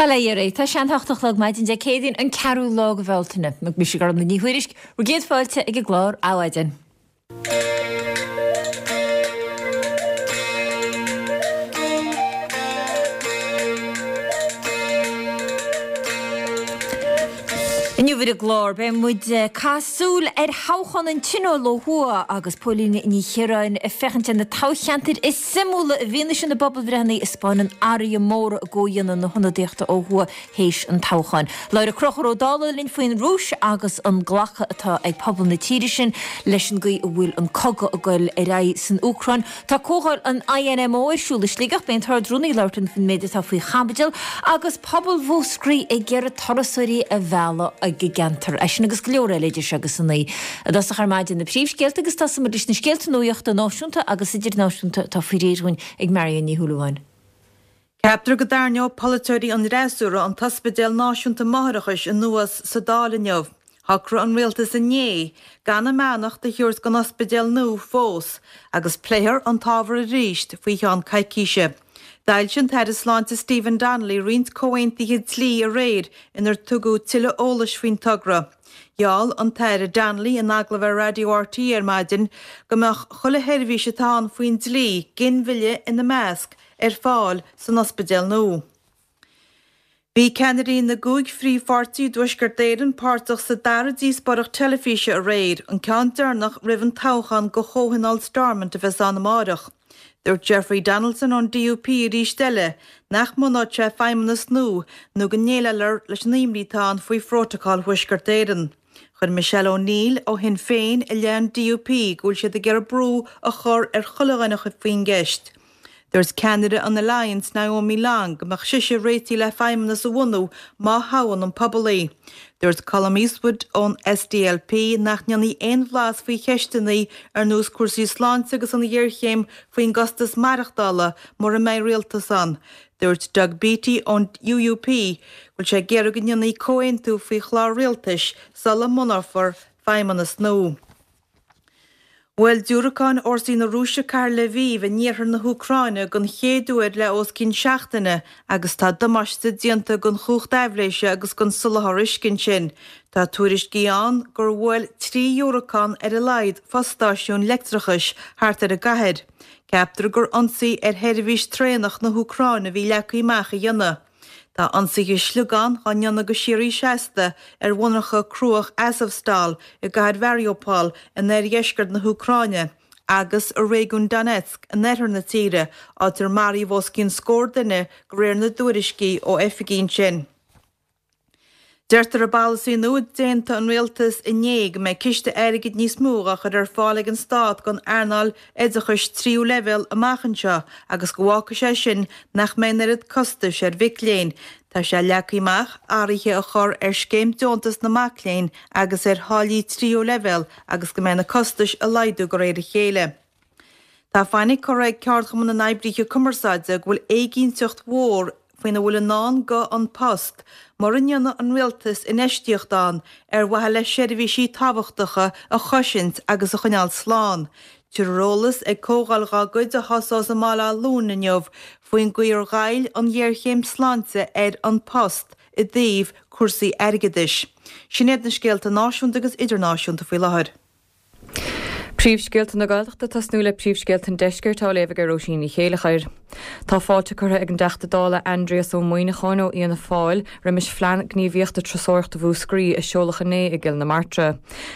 Bail ó Dhia oraibh. Tá sé an 8 a chlog maidin Dé Céadaoin an ceathrú lá de Bhealtaine. Mise Gormfhlaith Ní Thuairisg, bhur gcéad fáilte ag an gclár Adhmhaidin. Inniu ar an gclár beidh muid ag caitheamh súil ar thoghchán an Tionóil ó thuaidh agus Póilín Ní Chiaráin ag féachaint ar na toghcheantair is suimiúla i bhfianaise na bpobalbhreitheanna a 'spáineann athruithe móra i gcomhdhéanamh na hionadaíochta ó thuaidh théis an toghcháin. Labhróidh Conchúr Ó Dálaigh linn faoin Rúis agus an glacadh atá ag pobal na tíre sin leis an gcaoi a bhfuil an cogadh ag goil ar aghaidh san Úcráin. Tá comhdháil an INMO ar siúl i Sligeach, beidh an tArd-Rúnaí ag labhairt linn faoin méid atá faoi chaibidil agus pobal Mhúscraí ag iarraidh turasóirí a mhealladh ag an gceantar. É sin agus go leor eile idir seo agus a 9. I dtosach ar maidin na príomhscéalta agus tosóidh muid leis na scéalta nuachta náisiúnta agus idirnáisiúnta atá faoi réir dhúinn ag Marion Ní Shúilleabháin. Ceaptar go dtarraingeoidh polaiteoirí an fhreasúra an tOspidéal Náisiúnta Máithreachais anuas sa Dáil inniu. Shocraigh an rialtas inné gan a mbeannacht a thabhairt don ospidéal nua fós agus pléifear an t-ábhar arís faoi cheann coicíse. D'fhoilsigh an tAire Sláinte Stephen Donnelly roinnt comhaontuithe dlí aréir inar tugadh tuilleadh eolais faoin togra. Gheall an tAire Donnelly in agallamh ar Raidió RTÉ ar maidin go mbeadh chuile sheirbhís atá ann faoin dlí, ginmhilleadh ina measc, ar fáil san ospidéal nua. Bhí ceannairí na gcúig phríomhpháirtí i dTuaisceart Éireann páirteach sa dara díospóireacht teilifíse aréir, an ceann deireanach roimh an toghchán do Chomhthionól Stormont a bheas ann amárach. Dúirt Jeffrey Donaldson ón DUP arís eile nach mbunóidh sé feidhmeannas nua nó go ndéileálfar leis an imní atá ann faoi Phrótacal Thuaisceart Éireann. Chuir Michelle O'Neill ó Shinn Féin i leith an DUP go bhfuil siad ag iarraidh brú a chur ar chuile dhuine faoin gceist. Dúirt ceannaire an Alliance, Naomi Long, go mbeadh sise réitithe le feidhmeannas a bhunú má thoghann an pobal í. Dúirt Colum Eastwood ón SDLP nach ndéanfaí aon bhlas faoi cheisteanna ar nós cúrsaí sláinte agus an ghéarchéim faoin gcostas maireachtála mura mbeidh rialtas ann. Dúirt Doug Beattie ón UUP go bhfuil sé ag iarraidh go ndéanfaí comhaontú faoi chlár rialtais sula mbunófar feidhmeannas nua. Bhuail diúracáin fhórsaí na Rúise cathair Lviv in iarthar na hÚcráine den chéad uair le os cionn seachtaine agus tá damáiste déanta don chumhacht aibhléise agus don soláthar uisce ansin. Tá tuairiscí ann gur bhuail 3 dhiúracán ar a laghad fostáisiúin leictreachais thart ar an gcathair. Ceaptar gur ionsaí ar sheirbhís traenach na hÚcráine a bhí leagtha amach a dhéanamh. Tá ionsaithe sliogán á ndéanamh go síoraí seasta ar mhonarcha cruach Azovstal i gcathair Mhariupol in oirdheisceart na hÚcráine agus i réigiún Donetsk in oirthear na tíre, áit ar maraíodh os cionn scór duine de réir na dtuairiscí ó oifigigh ansin. Deirtear i bpolasaí nua a d'aontaigh an rialtas inné go mbeidh ciste airgid níos mó á chur ar fáil ag an stát don earnáil oideachais tríú leibhéal amach anseo agus go bhfágfaidh sé sin nach mbeidh an oiread costais ar mhic léinn. Tá sé leagtha amach athruithe a chur ar scéim deontas na mac léinn agus ar tháillí tríú leibhéal agus go mbeidh na costais a laghdú de réir a chéile. Tá fainic curtha ag Ceardchumann na nOibrithe Cumarsáide go bhfuil éiginnteacht mhór faoina bhfuil i ndán do An Post mura ndéanfaidh an Rialtas infheistíocht ann ar mhaithe le seirbhísí tábhachtacha a chosaint agus a choinneáil slán. Tabharfar eolas ag comhdháil dá gcuid a thosós i mBaile Átha Luain inniu faoin gcaoi ar ghoill an ghéarchéim sláinte ar An Post i dtaobh cúrsaí airgeadais. Sin iad na scéalta náisiúnta agus idirnáisiúnta faoi láthair. Príomhscéalta na Gaeltachta ag tosnú le príomhscéalta an Deiscirt á léamh ag Róisín Ní Chéileachair. Tá fáilte curtha ag an dTeachta Dála Aindrias Ó Muimhneacháin ó Fhianna Fáil roimis Phlean Gníomhaíochta Turasóireachta Mhúscraí a seoladh inné i gCill na Martra.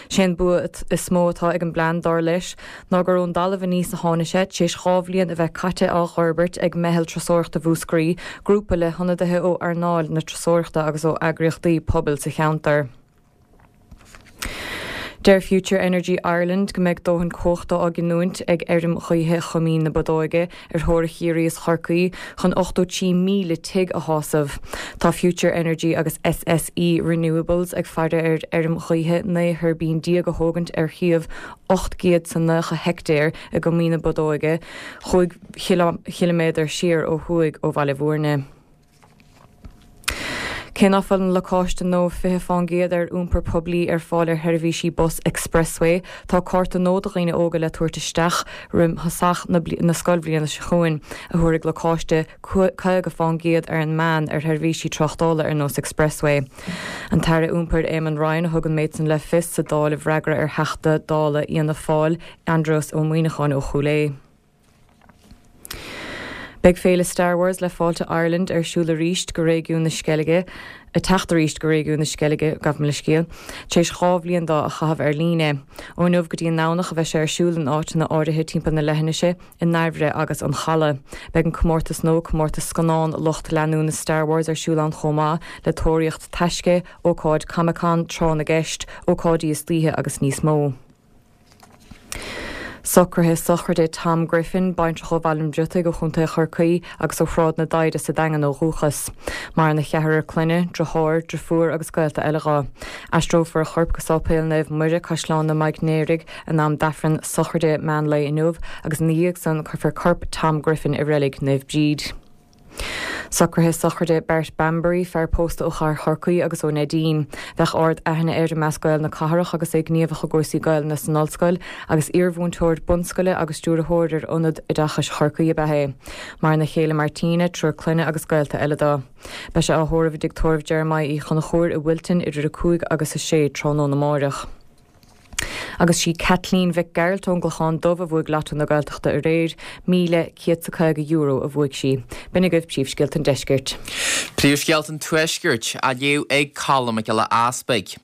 Sé an bua is mó atá ag an bplean, dar leis, ná gur ón dtalamh aníos a tháinig sé, tar éis 2 bhliain a bheith caite á dh'fhorbairt ag Meitheal Turasóireachta Mhúscraí, grúpa le hionadaithe ó earnáil na turasóireachta agus ó eagraíochtaí pobail sa cheantar. Deir Future Energy Ireland go mbeidh dóthain cumhachta á giniúint ag fheirm ghaoithe Choimín na Bodóige ar theorainn Chiarraí is Chorcaí chun 83,000 tigh a shásamh. Tá Future Energy agus SSE Renewables ag faire ar fheirm ghaoithe 19 thuirbín a thógaint ar shuíomh 890 heictéar i gCoimín na Bodóige, chúig chiliméadar siar ó thuaidh ó Bhaile Bhúirne. Cé ná fuil an lacáiste nua 20% ar iompar poiblí ar fáil ar sheirbhísí bus Expressway, tá cárta nua do dhaoine óga le tabhairt isteach roim thosach na scoilbhliana seo chugainn, a thabharfaidh lacáiste 50% ar an meán ar sheirbhísí tráchtála ar nós Expressway. An tAire Iompair Eamon Ryan a thug an méid san le fios sa Dáil i bhfreagra ar Theachta Dála Fhianna Fáil, Aindrias Ó Muimhneacháin ó Chúil Aodha. Beidh Féile Star Wars le Fáilte Ireland ar siúl arís go réigiún na Sceilge, ag teacht arís go réigiún na Sceilge, gabh mo leithscéal, tar éis 2 bhliain dó a chaitheamh ar líne. Ó inniu go dtí an nDomhnach a bheidh sé ar siúl in áiteanna áirithe timpeall na leithinise, i nDairbhre agus an Chaladh. Beidh an comórtas nua, Comórtas Scannán Lucht Leanúna Star Wars ar siúl ann chomh maith le tóraíocht taisce, ócáid Comic Con, tráth na gceist, ócáidí istoíche agus níos mó. Socruithe sochraide Tom Griffin, baintreach ó Bhaile an Bhriotaigh ó Chontae Chorcaí agus ó Shráid na Doighre sa Daingean ó dhúchas. Maireann a cheathrar clainne, driotháir, driofúr agus gaolta eile dho. Aistreofar a chorp go Sáipéal Naomh Muire, Caisleán na Maignéaraigh, in am d'Aifreann sochraide meán lae inniu agus ina dhiaidh san cuirfear corp Tom Griffin i reilig Naomh Bríd. Socruithe sochraide Bart Bambury, fear pósta ó Chathair Chorcaí agus ó Neidín. Bheadh ard aithne air i measc Gaeil na cathrach agus é gníomhach i gcúrsaí Gaelainne san ollscoil agus iarmhúinteoir bunscoile agus stiúrthóir ar Ionad Oideachais Chorcaí ab ea é. Maireann a chéile Martina, triúr clainne agus gaolta eile dó. Beidh sé á thórramh i dTigh Tórraimh Jeremiah Uí Chonchúir i Wilton idir 5 agus 6 tráthnóna amáireach. Agus sí Caitlín Mhic Gearailt ón gClochán Dubh a bhuaigh Lotto na Gaeltachta aréir. €1,150 a bhuaigh sí. B'in agaibh príomhscéalta an deiscirt. Príomhscéalta an Tuaiscirt á léamh ag Colm Mac Giolla Easpaig.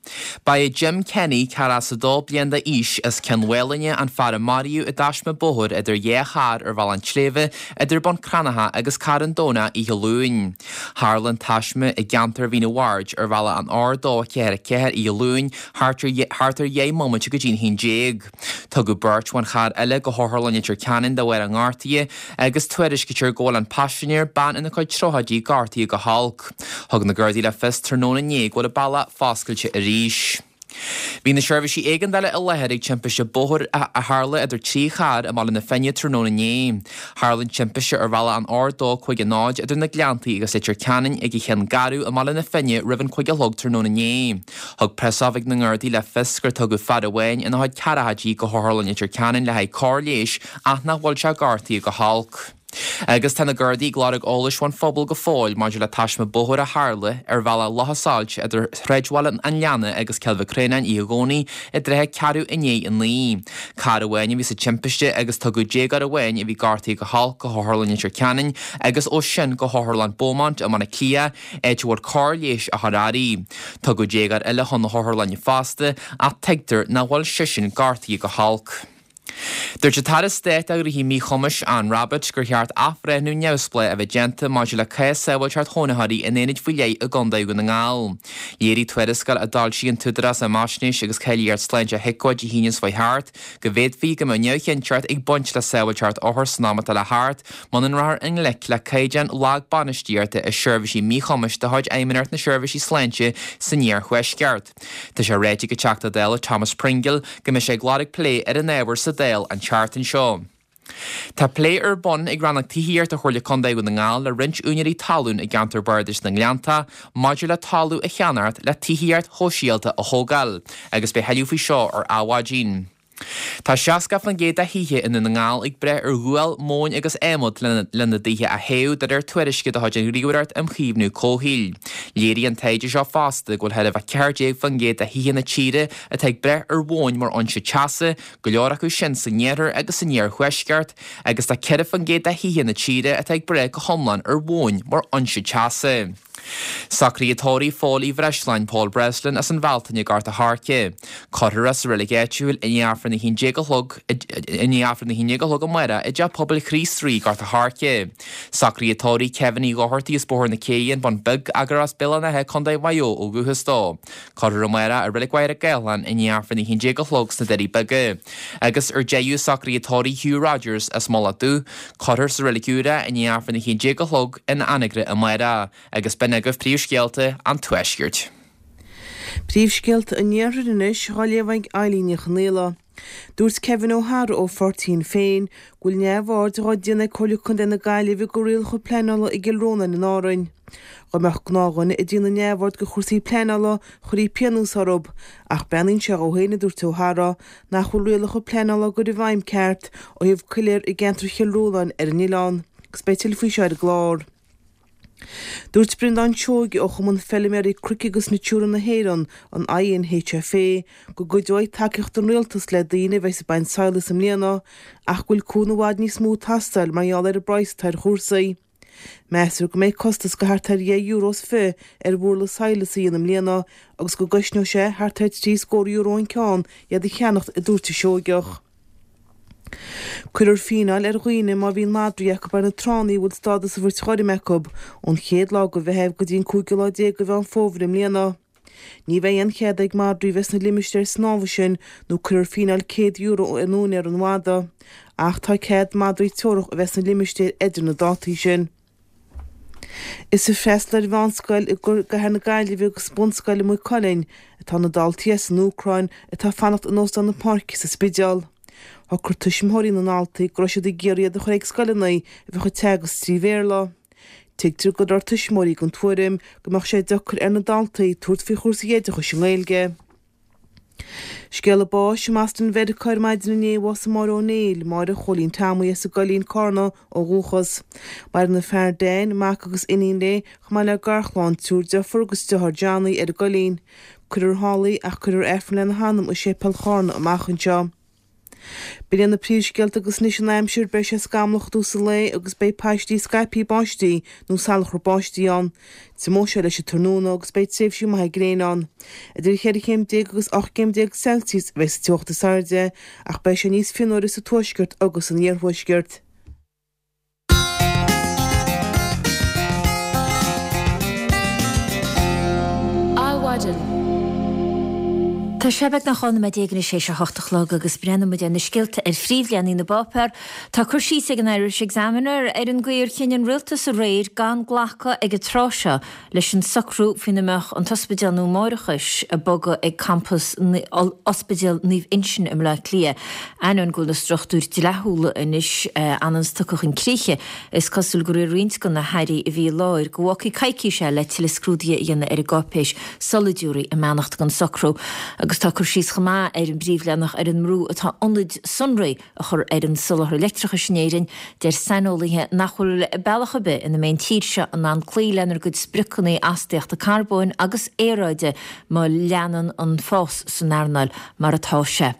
Ba é Jim Kenny, 42 bliain d'aois, as Cionn Mhálanna an fear a maraíodh i dtaisme bóthair idir dhá charr ar Bhealach an tSléibhe idir Bun Cranncha agus Carn Domhnach oíche Luain. Tharla an taisme i gceantar Mhín an Bhaird ar bhealach an R244 oíche Luain thart ar thart ar dheich mbomaite go dtí'n 11. Tugadh beirt ón charr eile go hOtharlann Leitir Ceanainn de bharr a ngortaithe agus tuairiscítear go bhfuil an paisinéir, bean ina cuid tríochaidí, gortaithe go holc. Thug na Gardaí le fios tráthnóna inné go bhfuil an bealach foscailte arís. Bhí na seirbhísí éigeandála i láthair ag timpiste bóthair a tharla idir 3 charr i mBaile na Finne tráthnóna inné. Tharla an timpiste ar bhealach an R250 idir na Gleanntaí agus Leitir Ceanainn ag an Chionn Garbh i mBaile na Finne roimh an 5 a chlog tráthnóna inné. Thug preasoifig na nGardaí le fios gur tugadh fear amháin ina chuid ceathrachaidí go hOtharlann Leitir Ceanainn le haghaidh cóir leighis ach nach bhfuil sé gortaithe go holc. Agus tá na Gardaí ag lorg eolais ón phobal go fóill maidir le taisme bóthair a tharla ar bhealach Loch a' Sailt idir Shráidbhaile an Leanna agus Cill Mhic Réanáin oíche Dhomhnaigh i dtrátha ceathrú i ndiaidh a 9. Carr amháin a bhí sa timpiste agus tugadh déagóir amháin a bhí gortaithe go holc go hOtharlann Leitir Ceanainn agus ó sin go hOtharlann Beaumont i mBaile Átha Cliath áit a bhfuil cóir leighis á chur uirthi. Tugadh déagóir eile chun na hotharlainne fosta ach tuigtear nach bhfuil seisean gortaithe go holc. Dúirt an tAire Stáit do Ghnóthaí Míchumais, Anne Rabbitte, gur cheart athbhreithniú neamhspleách a bheith déanta maidir le cás sábháilteacht chónaitheoirí in aonaid faoi leith i gContae Dhún na nGall. Léirigh tuarascáil a d'fhoilsigh an tÚdarás um Fhaisnéis agus Cáilíocht Sláinte HIQA Dé hAoine seo chuaigh thart go bhféadfaí go mbeadh neamhchinnteacht ag baint le sábháilteacht othar san am atá le theacht Muna rachfar i ngleic le caighdeán lag bainistíochta i seirbhísí míchumais de chuid Fheidhmeannacht na Seirbhísí Sláinte san iarthuaisceart. Tá sé ráite ag an Teachta Dála Thomas Pringle go mbeidh sé ag lorg plé ar an ábhar sa Dáil an tseachtain seo. Tá plé ar bun ag Rannóg Tithíochta Chomhairle Contae Dhún na nGall le roinnt úinéirí talún i gceantar Bardais na nGleanntach maidir le talamh a cheannacht le tithíocht shóisialta a thógáil agus beidh thuilleadh faoi seo ar Adhmhaidin. Tá 60% de thithe i nDún na nGall ag brath ar ghual, móin agus adhmad lena dtithe a théamh, de réir tuairisce de chuid an Ghníomhaireacht um Chaomhnú Comhshaoil. Léirigh an taighde seo fosta go bhfuil thar a bheith 14% de thithe na tíre atá ag brath ar mhóin mar fhoinse teasa, go leor acu sin san iarthar agus san iarthuaisceart, agus tá 4% de thithe na tíre atá ag brath go hiomlán ar mhóin mar fhoinse teasa. Socruithe tórraimh Phóil Uí Bhreisleáin, Paul Breslin, as an Bhealtaine i nGort a' Choirce. Cuirfear é sa reilig áitiúil i ndiaidh Aifreann 11 a chlog i ndiaidh Aifreann 11 a chlog amárach i dTeach Pobail Chríost Rí, Gort a' Choirce. Socruithe tórraimh Kevin Uí Dhochartaigh as Bóthar na Céidhe, An Bun Beag, ach gur as Béal an Átha, Co. Mhaigh Eo ó dhúchas dó. Cuirfear amárach i Reilig Mhachaire Gathlán i ndiaidh Aifreann 11 a chlog sna Doirí Beaga. Agus ar deireadh socruithe tórraimh Hugh Rogers as Mullach Dubh, Cuirfear sa Reilig Úr é i ndiaidh Aifreann 11 a chlog in Anagaire amárach agus b'in agaibh príomhscéalta an Tuaiscirt. Príomhscéalta an Iarthair anois, á léamh ag Eileen Ní Chonaola. Dúirt Kevin O'Hara ó pháirtí Shinn Féin go bhfuil neamhaird dhá déanamh ag Comhairle Contae na Gaillimhe go rialacha pleanála i gCill Rónáin in Árainn. Dhá mbeadh gnáthdhuine ag déanamh neamhaird go chúrsaí pleanála chuirfí pionós orthub, ach breathnaíonn sé dhó féin, a dúirt O'Hara, nach bhfuil rialacha pleanála á gcur i bhfeidhm ceart ó thaobh coiléar i gceantar Chill Rónáin ar an oileán. Agus beidh tuilleadh faoi seo ar an gclár. Dúirt Breandán Seoige ó Chumann Feilméaraí Cnoic agus Natura na hÉireann, an INHFA, go gcuideoidh tacaíocht ón Rialtas le daoine a bheas ag baint sadhlais i mbliana ach go bhfuil cúnamh i bhfad níos mó ag teastáil mar gheall ar an bpraghas atá ar chúrsaí. Meastar go mbeidh costas go thart ar dheich euro is fi ar bhurla sadhlais a dhéanamh i mbliana agus go gcosnóidh sé thart ar thrí scór euro an ceann iad a cheannacht, a dúirt an Seoigeach. Cuirfear fíneáil ar dhaoine má bhíonn madraí acu ar na tránna a bhfuil stádas an bhairt ghoirm acu ón chéad lá de Mheitheamh go dtí an cúigiú lá déag de Mheán Fómhair i mbliana. Ní bheidh aon chead ag madraí bheith sna limistéir snámha sin nó cuirfear fíneáil €100 ar úinéir an mhada. Ach tá cead madraí teorach a bheith sna limistéir idir na dátaí sin. Is ag freastal ar mheánscoil i gcathair na Gaillimhe agus bunscoil i Maigh Cuilinn atá na daltaí as an Úcráin atá ag fanacht in Óstán na Páirce sa Spidéal. Shocraigh tuismitheoirí na ndaltaí go raibh siad ag iarraidh iad a chur ag scoileanna a bheadh ag teagasc trí Bhéarla. Tuigtear go raibh tuismitheoirí den tuairim go mbeadh sé deacair ar na daltaí tabhairt faoi chúrsaí oideachais i nGaeilge. Scéala báis i mBoston Mheiriceá ar maidin inné, bhásaigh Máire Ó Néill, Máire Chóilín Tomaí as an gCoillín, Cárna, ó dhúchas. Maireann a fear Dan, mac agus iníon léi, chomh maith le garchlann, triúr deirfiúr agus deartháir Johnny ar an gCoillín. Cuirfear thall í ach cuirfear Aifreann lena hanam i Séipéal Chárna amach anseo. B'in iad na príomhscéalta agus anois an aimsir, beidh sé scamallach i dtús an lae agus beidh paistí scaipthe báistí nó salachar báistí ann. Tiomóidh sé leis an tráthnóna agus beidh tréimhsí maithe gréine ann. Idir cheithre chéim déag agus 18 gcéim Celsius a bheidh sa teocht is airde ach beidh sé níos fionnuaire sa tuaisceart agus san iarthuaisceart. Adhmhaidin. Tá sé beagnach 12 nóiméad anois théis a hocht a chlog agus breathnóidh muid ar na scéalta ar phríomhleathanaigh na bpáipéar. Tá cur síos ag an Irish Examiner ar an gcaoi ar chinn an rialtas aréir gan glacadh ag an tráth seo leis an socrú faoina mbeadh an t-ospidéal nua máithreachais ag bogadh ag campas Ospidéal Naomh Uinseann i mBleá Cliath. Ainneoin go bhfuil na struchtúir dleathúla anois anonn tugtha chun críche, is cosúil gur iarr roinnt de na hairí a bhí i láthair go bhfágfaí coicís eile le tuilleadh scrúdaithe a dhéanamh ar an gcáipéis sula dtabharfaí a mbeannacht don socrú. Agus tá cur síos chomh maith ar an bpríomhleathanach ar an mbrú atá ionaid sonraí a chur ar an soláthar leictreachais in Éirinn, deir saineolaithe nach bhfuil bealach ar bith ina mbeidh an tír seo in ann cloí lenár gcuid spriocanna astaíochta carbóin agus aeráide má leanann an fás san earnáil mar atá sé.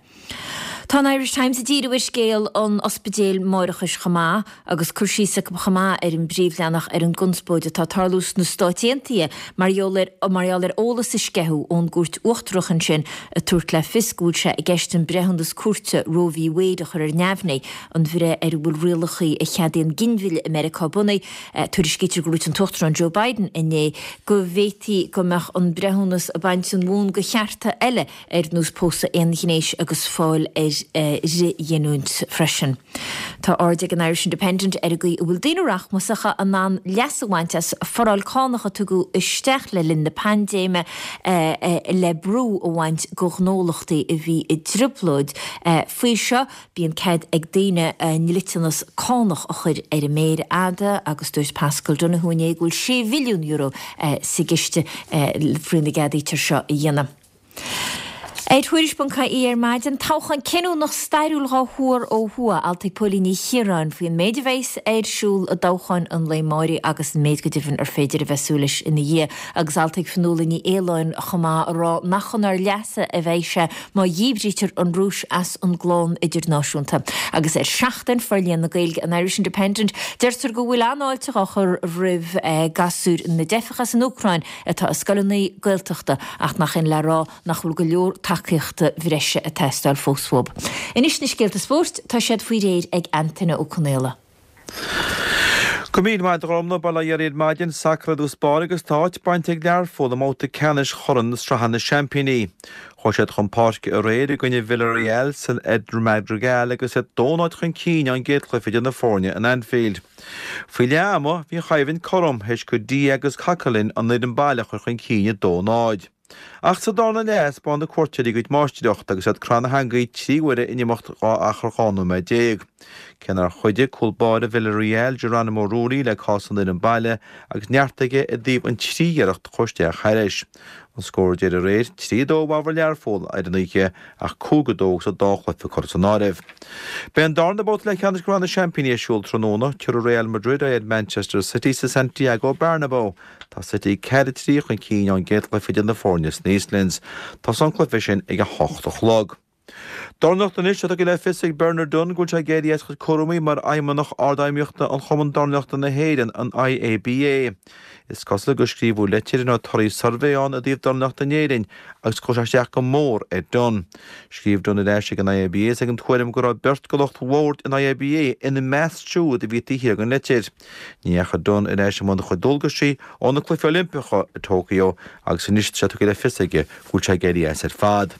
Tá an Irish Times ag díriú ar scéal an ospidéil máithreachais chomh maith agus cur síos acu chomh maith ar an bpríomhleathanach ar an gconspóid atá ag tarlú sna Stáit Aontaithe mar gheall ar mar gheall ar eolas a sceitheadh ón gcúirt uachtarach ansin ag tabhairt le fios go bhfuil sé i gceist an breithiúnas cúirte Roe v Wade a chur ar neamhní, an bhreith ar a bhfuil rialacha a cheadaíonn ginmhilleadh i Meiriceá bunaithe. Tuairiscítear gur dhúirt an tUachtarán Joe Biden inné go bhféadfaí go mbeadh an breithiúnas ag baint an bhonn do chearta eile ar nós pósadh aonghnéis agus fáil ar fhrithghiniúint freisin. Tá aird ag an Irish Independent ar an gcaoi a bhfuil daoine rachmasacha in ann leas a bhaint as foráil cánach a tugadh isteach le linn na paindéime le brú a bhaint de ghnólachtaí a bhí i dtrioblóid. Faoi seo, bíonn cead ag daoine a ndliteanas cánach a chur ar an méar fhada agus dúirt Paschal Donohoe inné go bhfuil €6 bhilliún sa gciste faoina gceadaítear seo a dhéanamh. Ar Tuairisc.ie ar maidin, toghchán cinniúnach stairiúil dhá thuar ó thuaidh, alt ag Póilín Ní Chiaráin faoin méid a bheas ar siúl i dtoghchán an lae amáirigh agus an méid go deimhin ar féidir a bheith ag súil leis ina dhiaidh. Agus alt ag Fionnuala Ní Aoláin chomh maith ag rá nach chun ár leasa a bheidh sé má dhíbrítear an Rúis as an gclann idirnáisiúnta. Agus ar Seachtain, Forlíonadh na Gaeilge an Irish Independent, deirtear go bhfuil an-fháilte á chur roimh gasúir na dteifeach as an Úcráin atá i scoileanna Gaeltachta ach nach in le rá nach bhfuil go leor tacaíochta bhreise ag teastáil fós uathu. Anois na scéalta spóirt, tá siad faoi réir ag Antaine Ó Conaola. Go raibh míle maith agat a Ghormfhlaith, bail ó Dhia oraibh ar maidin, sacar i dtús báire agus tá áit bainte ag Learpholl i mbabhta ceannais Chorn na Sraithe na Seaimpíní. Chuaigh siad chun páirce aréir i gcoinne Villarreal san Eder Madrigal agus iad 2-0 chun cinn ón gcéad chluiche idir na foirne in Anfield. Faoi leath ama, bhí an choimhlint cothrom, théis do Dia agus Coquelin an fhoireann baile a chur chun cinn 2-0. Ach sa darna leath, thaispeáin na cuairteoirí a gcuid máistreachta agus iad ag cur na heangaí 3 huaire in imeacht 12 achar 12 nóiméad. Cé nár chuidigh cúl báire Villarreal, Geronimo Rulli, le cás an fhoireann baile agus neart aige i dtaobh an trí iarracht a chuaigh isteach thairis. An scór deiridh aréir, 3, 2 i bhfabhar Learpholl ar an oíche ach 5, 2 agus an dá chluiche curtha san áireamh. Beidh an darna babhta leathcheannais de Shraith na Seaimpíní ar siúl tráthnóna. Tabharfaidh Real Madrid aghaidh ar Manchester City sa Santiago Bernabeu. Tá City 4, 3 chun cinn ón gcéad chluiche idir na foirne sna Eastlands. Tosóidh an cluiche sin ag a hocht a chlog. Dornálaíocht Anois tá tugtha le fios ag Bernard Dunne go bhfuil sé ag éirí as a chuid cúraimí mar Fheidhmeannach Ardfheidhmíochta an Chumann Dornálaíochta na hÉireann, an IABA. Is cosúil gur scríobhadh leitir ina raibh torthaí suirbhé ann i dtaobh dornálaíochta in Éirinn agus chuir sé isteach go mór ar Dunne. Scríobh Dunne ar ais ag an IABA is é ag an tuairim go raibh beirt de lucht bhoird an IABA ina measc siúd a bhí taobh thiar den leitir. Ní dheachaigh Dunne ar ais i mbun a chuid dualgaisí ó na Cluichí Oilimpeacha i Tokyo agus anois tá sé tugtha le fios aige go bhfuil sé ag éirí as ar fad.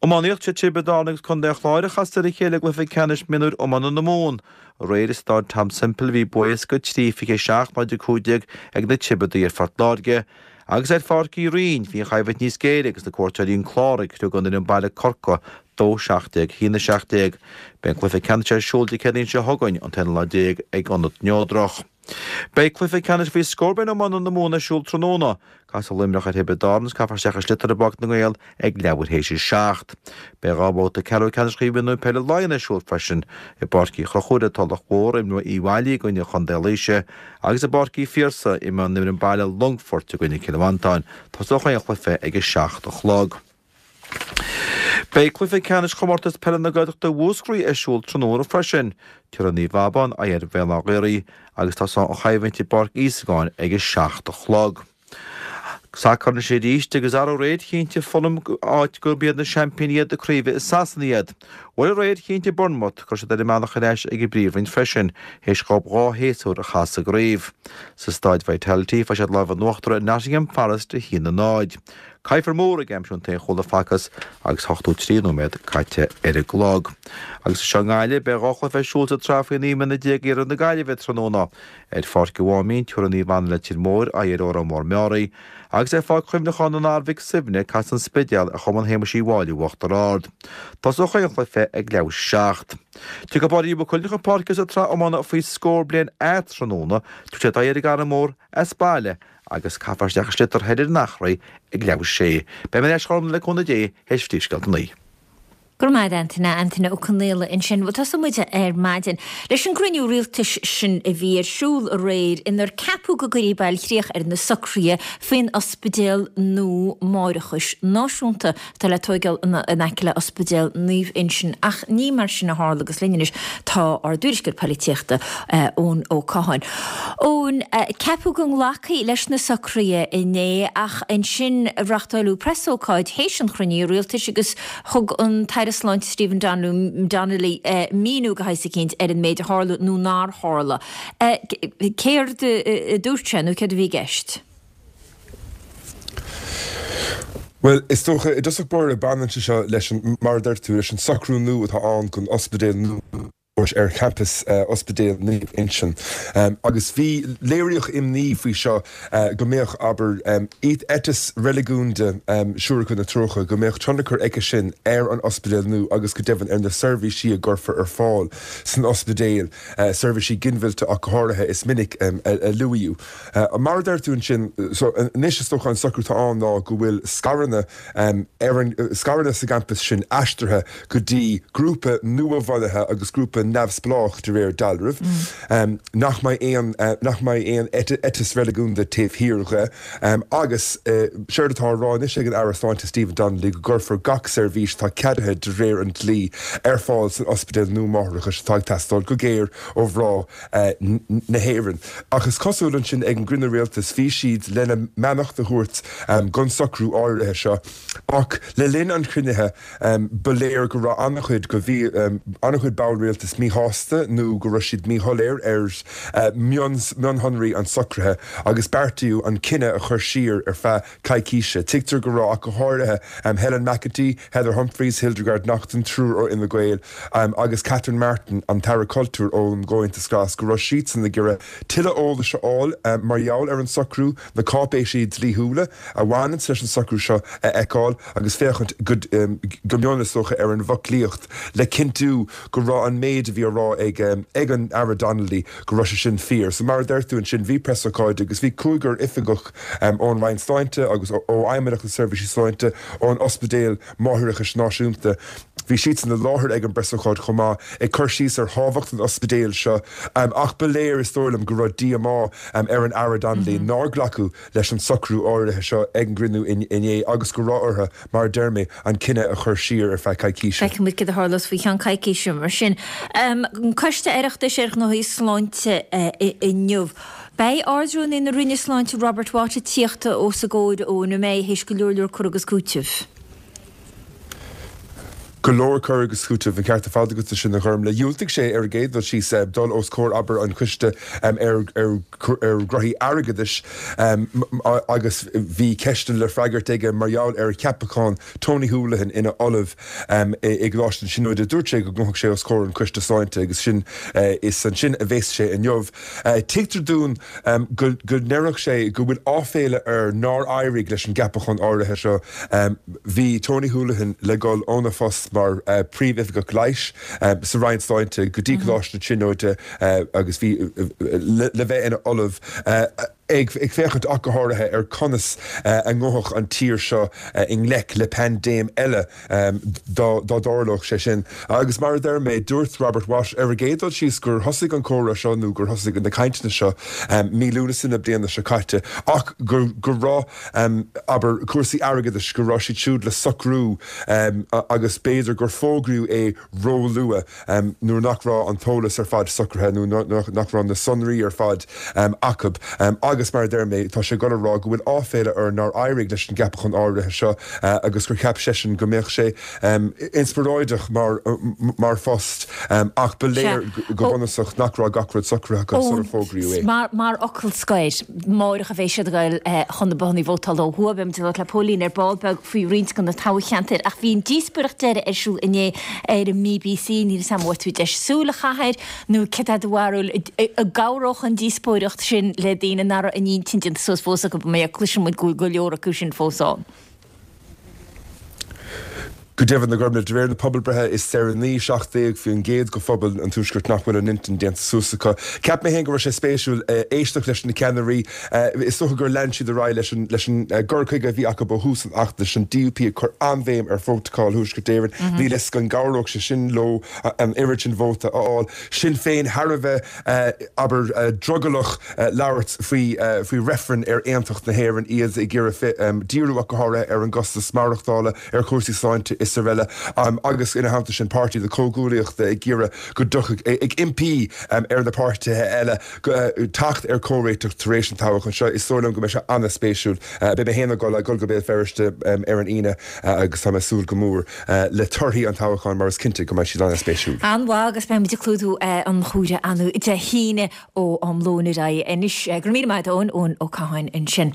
Iománaíocht, Sé Tiobraid Árann agus Contae an Chláir a chasfaidh ar a chéile i gcluiche ceannais mionúir iomána na Mumhan. Aréir i Stáid Tom Semple bhí bua éasca 3, 27, 0, 15 ag na Tiobradaigh ar Phort Láirge. Agus ar Pháirc Uí Rinn bhí an choimhlint níos géire agus na cuairteoirí An Clár ag criogadh an fhoireann baile Corcaigh 2, 17, 1, 17. Beidh an cluiche ceannais ar siúl Dé Céadaoin seo chugainn, an t-aonú lá déag, ag Ionad Neodrach. Beidh cluiche ceannais faoi scór bliain iomána na Mumhan ar siúl tráthnóna. Casfaidh Luimneach ar Thiobraid Árann agus caithfear isteach i sliotar i bPáirc na nGael ag leathuair théis a 7. Beidh 2 bhabhta ceathrú ceannais Chraobh Mhionúir Peile Laighean ar siúl freisin. I bPáirc Uí Chonchúir ar Tulach Mhór, imreoidh Uíbh Fhailí i gcoinne Chontae Laoise agus i bPáirc Uí Phiarsaigh, imreoidh an fhoireann baile Longfort i gcoinne Chill Mhantáin. Tosóidh an cluiche ag 7 a chlog. Beidh cluiche ceannais Chomórtas Peile na Gaeltachta Mhúscraí ar siúl tráthnóna freisin. Tabharfaidh Naomh Abán aghaidh ar Bhéal Átha Ghaorthaidh agus tosóidh an choimhlint i bPáirc Íosagáin ag 7 a chlog. Sacar anois arís agus arú aréir chinntigh Fulham áit gurb iad na seaimpíní iad na craoibhe i Sasana iad. Bhuel aréir chinntigh Bournemouth go raibh siad ar a mbealach ar ais ag an bPríomhroinn freisin théis dhóibh 2 shéasúr a chaitheamh sa gcraobh. Sa Stáid Vitality fuair siad lámh in uachtar ar Nottingham Forest 1-0. Kieffer Moore ag aimsiú an t-aon chúl a facthas agus 83 nóiméad caite ar an gclog. Agus anseo i nGaillimh, beidh 2 chluiche ar siúl sa tsraith faoi 19 mbliana iarthar na Gaillimhe tráthnóna. Ar Pháirc an Mháimín, tabharfaidh Naomh Anna Leitir Móir aghaidh ar Órán Mór Meáraí, agus ar Pháirc Chuimhneacháin an Athar Mhic Suibhne, casfaidh An Spidéal ar Chumann Shéamuis Uí Mháille Uachtar Ard. Tosóidh an chluiche ag leathuair théis a 7. Tiocfaidh Baile Mhaigh Cuilinn chun páirce sa tsraith iomána faoi scór bliain A tráthnóna, tabharfaidh siad aghaidh ar an gCarn Mór as baile agus caithfear isteach i sliotar thoir ar an Eachréidh ag leathuair théis a 6. Beidh mé ar ais a Ghormfhlaith le cúnamh Dé théis phríomhscéalta a 9. Go raibh maith agat Antaine, Antaine Ó Conaola ansin. Bhuel tosóidh muid ar maidin leis an gcruinniú rialtais sin a bhí ar siúl aréir inar ceapadh go gcuirfí bailchríoch ar na socruithe faoin ospidéal nua máithreachais náisiúnta atá le tóigeáil in aice le Ospidéal Naomh Uinseann ach ní mar sin a tharla agus linn anois tá ár dtuairisceoir poilitíochta, Eoin Ó Catháin. Eoin, ceapadh go nglacfaí leis na socruithe inné ach ansin reáchtáileadh preasócáid théis an chruinnithe rialtais agus thug an tAire Sláinte Stephen Donnelly míniú de shaghas eicínt ar an méid a tharla nó nár tharla. Céard a dúirt sé nó céard a bhí i gceist? Bhuel, is dócha, i dtosach báire, baineann sé seo leis an, mar a deir tú, leis an socrú nua atá ann don ospidéal nua ar champas Ospidéal Naomh Uinseann. Agus bhí, léiríodh imní faoi seo go mbeadh, abair, eiteas reiligiúnda Siúracha na Treocha, go mbeadh tionchar aige sin ar an ospidéal nua agus go deimhin ar na seirbhísí a gcuirfear ar fáil san ospidéal, seirbhísí ginmhillte ach go háirithe, is minic a luaíodh. Mar a deir tú ansin, so anois is dócha an socrú atá ann ná go bhfuil scaireanna ar an, scaireanna sa gcampas sin aistrithe go dtí grúpa nua-bhunaithe agus grúpa neamhspleách de réir dealraimh, nach mbeidh aon, nach mbeidh aon eiteas reiligiúnda taobh thiar dhe agus séard atá á rá anois ag an Aire Sláinte Stephen Donnelly go gcuirfear gach seirbhís atá ceadaithe de réir an dlí ar fáil san ospidéal nua máithreachais atá ag teastáil go géar ó mhná na hÉireann. Ach is cosúil ansin ag an gcruinniú rialtais bhí siad lena mbeannacht a thabhairt don socrú áirithe seo ach le linn an chruinnithe ba léir go raibh an-chuid go bhí an-chuid ball rialtais. saghas míshásta nó go raibh siad míshoiléir ar mhionshonraí an tsocraithe agus beartaíodh an cinneadh a chur siar ar feadh coicíse. Tuigtear go raibh, ach go háirithe, Helen McEntee, Heather Humphreys, Hildegarde Naughton, triúr ó Fhine Gael, agus Catherine Martin, an tAire Cultúir ón gComhaontas Glas, go raibh siadsan ag iarraidh tuilleadh eolais a fháil mar gheall ar an socrú, na cáipéisí dlíthiúla a bhaineanns leis an socrú seo a fheiceáil agus féachaint go mion, is dócha, ar an bhfoclaíocht le cinntiú go raibh an méid a bhí á rá ag an Aire Donnelly, go raibh sé sin fíor. So mar a deir tú ansin, bhí preasócáid agus bhí cúigear oifigeach ón Roinn Sláinte agus ó Fheidhmeannacht na Seirbhísí Sláinte, ón Ospidéal Máithreachais Náisiúnta, bhí siadsan i láthair ag an bpreasócáid chomh maith, ag cur síos ar thábhacht an ospidéil seo. Ach ba léir, is dóigh liom, go raibh díomá ar an Aire Donnelly nár glacadh leis an socrú áirithe seo ag an gcruinniú inné agus go raibh orthu, mar a deir mé, an cinneadh a chur siar ar feadh coicíse. Feicfidh muid céard a tharlós faoi cheann coicíse mar sin. An Coiste Oireachtais ar Ghnóthaí Sláinte inniu. Beidh Ard-Rúnaí na Roinne Sláinte Robert Watt ag tíocht os a gcomhair Eoin, an mbeidh, théis go leor leor cur agus cúiteamh. Go leor cur agus cúiteamh, an ceart ar fad agat ansin, a Ghormlaith. Dhiúltaigh sé ar an gcéad dul síos dul os comhair, abair, an choiste ar ghnóthaí airgeadais agus bhí ceisteanna le freagairt aige mar gheall ar cheapachán Tony Holohan ina ollamh i gColáiste na Tríonóide. Dúirt sé go ngabhfadh sé os comhair an choiste sláinte agus sin is ansin a bheas sé inniu. Tuigtear dúinn go ndéarfadh sé go bhfuil áiféala air nár éirigh leis an gceapachán áirithe seo. Bhí Tony Holohan le dhul óna phost mar Phríomh-Oifigeach Leighis sa Roinn Sláinte go dtí Coláiste na Tríonóide agus bhí le bheith ina ollamh, ag féachaint ach go háirithe ar conas a ngabhfadh an tír seo i ngleic le paindéim eile. dá dtarlódh sé sin. Agus mar a deir mé, dúirt Robert Watt ar an gcéad dul síos gur thosaigh an comhrá seo nó gur thosaigh na cainteanna seo mí Lúnasa na bliana seo caite ach go raibh, abair, cúrsaí airgeadais, go raibh siad siúd le socrú agus b'fhéidir gur fógraíodh é róluath nuair nach raibh an t-eolas ar fad socraithe nó nach raibh na sonraí ar fad acu. Agus mar a deir mé, tá sé ag dul a rá go bhfuil áiféala air nár éirigh leis an gceapachán áirithe seo agus gur cheap seisean go mbeadh sé inspioráideach mar phost ach ba léir go bunúsach nach raibh gach rud socraithe acu sular fógraíodh é. Mar fhocal scoir, amárach a bheidh siad ag dul chun na bothanna vótála ó thuaidh. Beidh muid ag labhairt le Póilín ar ball beag faoi roinnt de na toghcheantair ach bhí an díospóireacht deiridh ar siúl inné ar an mBBC. Níl 'fhios a'm an bhfuair tú deis súil a chaitheamh air nó céard é do bharúil, an gcabhródh an díospóireacht sin le daoine nach raibh a n-intinn déanta suas fós acu, mar cloiseann muid go bhfuil go leor acu sin fós ann. Go deimhin, a Ghormlaith, de réir na pobalbreithe is deireanaí, 17% de phobal an Tuaiscirt nach bhfuil a n-intinn déanta suas acu. Cheap mé féin go raibh sé spéisiúil éisteacht leis na ceannairí. Is dócha gur lean siad ar aghaidh leis an leis an gcur chuige a bhí acu ó thús an fheachtais, an DUP ag cur an-bhéim ar Phrótacal Thuaisceart Éireann. Níl 'fhios an gcabhródh sé sin leo an oiread sin vóta a fháil. Sinn Féin thar a bheith, abair, drogallach labhairt faoi faoi reifreann ar aontacht na hÉireann, iad ag iarraidh díriú ach go háirithe ar an gcostas maireachtála, ar chúrsaí sláinte is araile agus ina theannta sin Páirtí na Comhghuaillíochta ag iarraidh go dtiocfadh, ag impí ar na páirtithe eile teacht ar chomhréiteach tar éis an toghcháin seo. Is dóigh liom go mbeidh sé an-spéisiúil. Beidh mé féin ag dul go Béal Feirste ar an Aoine agus tá mé ag súil go mór le torthaí an toghcháin mar is cinnte go mbeidh siad an-spéisiúil. An-mhaith agus beidh muid ag clúdú an chomhrá ann Dé hAoine ó am lóin ar aghaidh anois. Go raibh míle maith agat Eoin, Eoin Ó Catháin ansin.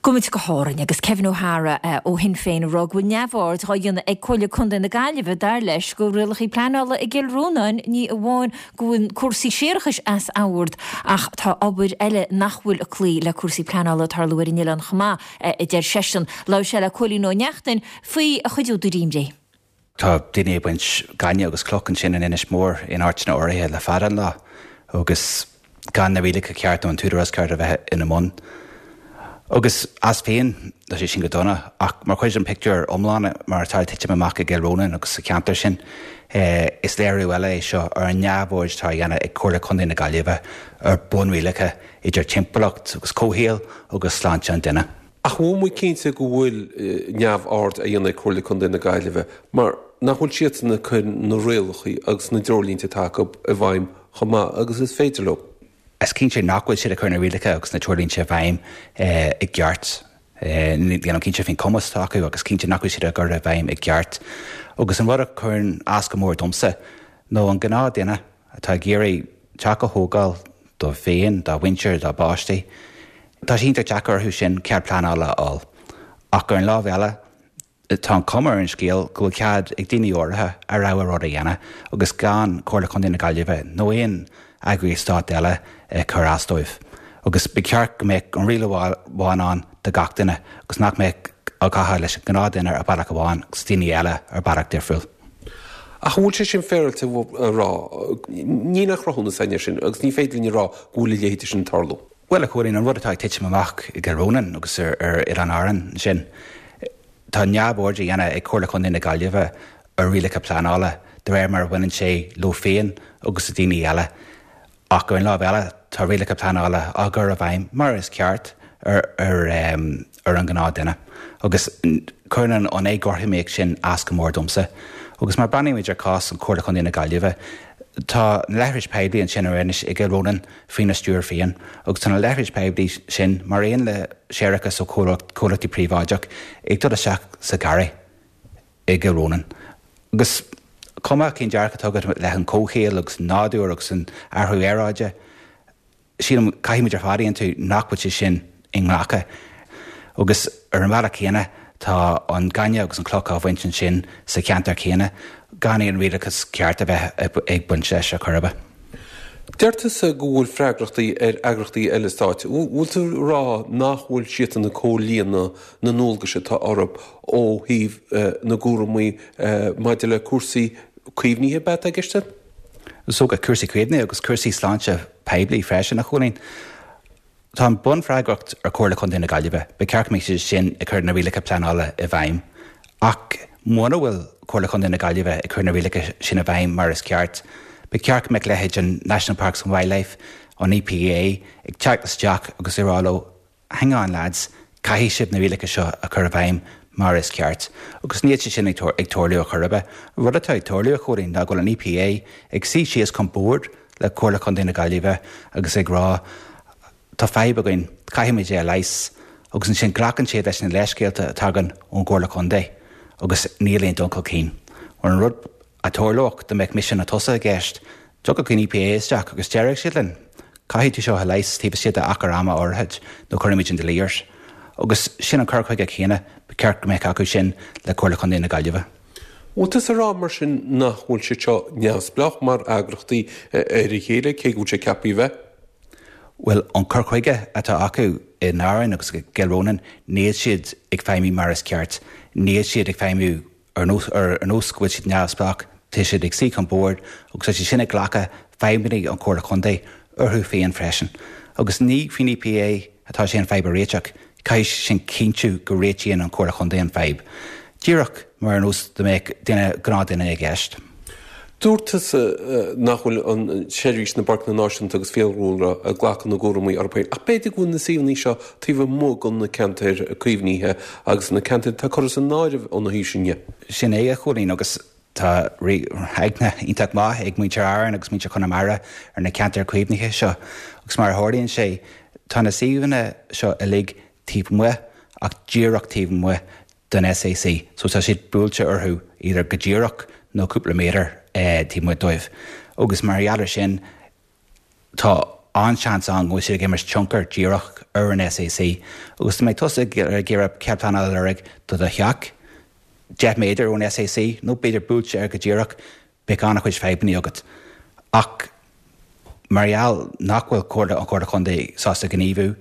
Gabhfaidh muid go hÁrainn agus Kevin O'Hara ó Shinn Féin ag rá go bhfuil neamhaird dhá dhéanamh ag Comhairle Contae na Gaillimhe, dar leis, go rialacha pleanála i gCill Rónáin, ní amháin go bhfuil cúrsaí séarachais as ord ach tá obair eile nach bhfuil ag cloí le cúrsaí pleanála ag tarlú ar an oileán chomh maith, a deir seisean. Labhair sé le Cóilín Ó Neachtain faoi a chuid údar imní. Tá daoine ag baint gainimh agus cloch ansin in Inis Mór in áiteanna áirithe le fada an lá agus gan na rialacha ceart nó an t-údarás ceart a bheith ina mbun. Agus as féin, tá sé sin go dona, ach mar chuid den pictiúr iomlán mar atá ag titim amach i gCill Rónáin agus sa cheantar sin, is léiriú eile é seo ar an neamhaird atá á dhéanamh ag Comhairle Contae na Gaillimhe ar bunrialacha idir timpeallacht agus comhshaol agus sláinte an duine. Ach an bhfuil muid cinnte go bhfuil neamhaird á dhéanamh ag Comhairle Contae na Gaillimhe mar nach bhfuil siadsan ag cur na rialacha agus na dtreoirlínte atá acu i bhfeidhm chomh maith agus is féidir leo? Is cinnte nach bhfuil siad ag cur na rialacha agus na treoirlínte i bhfeidhm i gceart. Nílim cinnte faoin cumas atá acu agus cinnte nach bhfuil siad á gcur i bhfeidhm i gceart. Agus an rud a chuireann as go mór domsa. Nó an gnáthduine atá ag iarraidh teach a thógáil dóibh féin, dá mhuintir, dá bpáistí, tá sé iontach deacair orthu sin cead pleanála a fháil. Ach ar an lámh eile, tá an chuma ar an scéal go bhfuil cead ag daoine áirithe a rogha rud a dhéanamh agus gan Comhairle Contae na Gaillimhe nó aon eagraíocht stáit eile ag cur as dóibh. Agus ba cheart go mbeadh an riail amháin ann do gach duine agus nach mbeadh á gcaitheamh leis an gnáthdhuine ar bealach amháin agus daoine eile ar bealach difriúil. Ach an bhfuil sé sin féaráilte a rá? Níl aon chruthúnas againn air sin agus ní féidir linn a rá go bhfuil a leithéid sin ag tarlú. Bhuel, a Chóilín, an rud atá ag titim amach i gCill Rónáin agus ar Oileán Árann ansin, tá neamhaird á dhéanamh ag Comhairle Chontae na Gaillimhe ar rialacha pleanála de réir mar a bhaineann sé leo féin agus le daoine eile. Ach ar an lámh eile, tá rialacha pleanála á gcur i bhfeidhm, mar is ceart, ar ar an ghnáthduine. Agus cuireann an éagothromaíocht sin as go mór domsa. Agus má breathnaímid ar chás an Chomhairle Chontae na Gaillimhe, tá na leithris poiblí ansin ar Inis i gCill Rónáin faoina stiúir féin. Agus tá na leithris poiblí sin, mar aon le séarachas ó chomhlachtaí príobháideach, ag dul isteach sa gharraí. i gCill Rónáin. Agus cuma cén dearcadh atá agat leis an comhshaol agus an nádúr agus an athrú aeráide, sílim caithfimid ar fad a aontú nach bhfuil sé sin inghlactha. Agus ar an bhealach céanna tá an gaineamh agus an cloch á bhaint ansin sa cheantar céanna gan aon rialachas ceart a bheith ag baint leis ar chor ar bith. Deir tusa go bhfuil freagrachtaí ar eagrachtaí eile stáit. Bhfuil tú ag rá nach bhfuil siadsan ag comhlíonadh na ndualgais atá orthu ó thaobh na gcúramaí maidir le cúrsaí caomhnaithe, ab ea atá i gceist ann? Is dócha, cúrsaí caomhnaithe agus cúrsaí sláinte poiblí freisin, a Chóilín. Tá an bunfhreagracht ar Chomhairle Chontae na Gaillimhe. Ba cheart go mbeadh siad sin ag cur na rialacha pleanála i bhfeidhm. Ach muna bhfuil Comhairle Chontae na Gaillimhe ag cur na rialacha sin i bhfeidhm mar is ceart, ba cheart go mbeadh leithéid an National Parks and Wildlife, an EPA, ag teacht isteach agus ag rá leo, Hang on lads, caithfidh sibh na rialacha seo a chur i bhfeidhm mar is ceart. Agus níl sé sin ag tarlú ar chor ar bith. An rud atá ag tarlú, a Chóilín, ná go bhfuil an EPA ag suí síos chun boird le Comhairle Chontae na Gaillimhe agus ag rá tá fadhb againn, caithfimid é a leigheas. Agus ansin glacann siad leis na leithscéalta a tagann ón gComhairle Contae agus níl aon dul chun cinn. An rud a tharlódh dá mbeadh mise nó tusa i gceist, Thiocfadh an EPA isteach agus déarfadh siad linn, 'Caithfidh tú seo a leigheas taobh istigh d'achar ama áirithe nó cuirfimid an dlí ort. Agus sin an cur chuige céanna ba cheart go mbeadh acu sin le Comhairle Chontae na Gaillimhe. Bhfuil tusa ag rá mar sin nach bhfuil siad seo neamhspleách mar eagrachtaí ar a chéile, cé go bhfuil sé ceaptha a bheith? Bhuel, an cur chuige atá acu in Árainn agus i gCill Rónáin, níl siad ag feidhmiú mar is ceart. Níl siad ag feidhmiú Ar nós ar nós go bhfuil siad neamhspleách, tá siad ag suí chun boird agus tá siad sin ag glacadh fadhbanna an Chomhairle Contae orthu féin freisin. Agus ní faoin EPA atá sé an fadhb a réiteach, caithfidh siad sin cinntiú go réitíonn an Chomhairle Contae an fadhb. Díreach mar ar nós dá mbeadh duine, gnáthdhuine i gceist. Dúirt tusa nach bhfuil an tSeirbhís na bPáirceanna Náisiúnta agus Fiadhúlra ag glacadh na gcúramaí orthu féin, ach b'fhéidir go bhfuil na suíomhanna seo taobh amuigh de na ceantair caomhnaithe agus na ceantair atá curtha san áireamh óna thaobh sin dhe. Sin é, a Chóilín, agus tá aithne iontach maith ag muintir Árann agus muintir Chonamara ar na ceantair caomhnaithe seo agus mar a tharlaíonn sé, tá na suíomhanna seo uilig taobh amuigh ach díreach taobh amuigh den SAC so tá siad buailte orthu either go díreach nó cúpla méadar taobh amuigh dóibh agus mar gheall ar sin tá an-seans ann go bhfuil siad ag imirt tionchar díreach ar an SAC agus dá mbeadh tusa ag iarraidh cead pleanála a lorg do do theach 10 méadar ón SAC nó b'fhéidir buailte air go díreach beidh an-chuid fadhbanna agat. Ach mar gheall nach bhfuil Comhairle an Chomhairle Chontae sásta gníomhú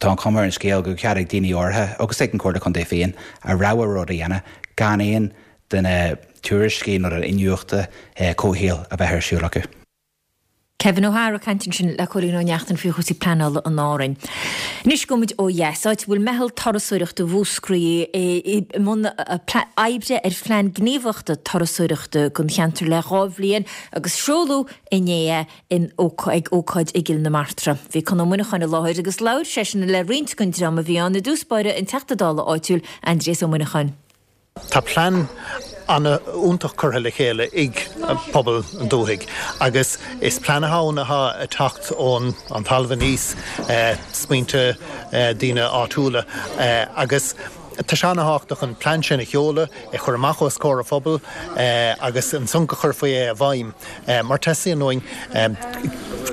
Tá an chuma ar an scéal go bhfuil cead ag daoine áirithe, agus ag an Chomhairle Contae féin, a rogha rud a dhéanamh gan aon de na tuairiscí nó den iniúchta comhshaoil a bheith ar siúl acu. Kevin O'Hara ag caint ansin le Cóilín Ó Neachtain faoi chúrsaí pleanála in Árainn. Anois gabhfaidh muid ó dheas, áit a bhfuil Meitheal Turasóireachta Mhúscraí i mbun oibre ar phlean gníomhaíochta turasóireachta don cheantar le 2 bhliain agus seoladh inné é in ag ócáid i gCill na Martra. Bhí Conn Ó Muineacháin i láthair agus labhair seisean le roinnt den dream a bhí ann, i dtús báire an Teachta Dála áitiúil, Aindrias Ó Muineacháin. Tá plean an-fhiúntach curtha le chéile ag pobal an dúthaigh agus is plean atá ann atá ag teacht ón an talamh aníos, smaointe daoine áitiúla agus. Tá sé ana-thábhachtach an plean sin a sheoladh, é a chur amach os comhair an phobail agus ansan go chuirfí é i bhfeidhm mar teastaíonn uainn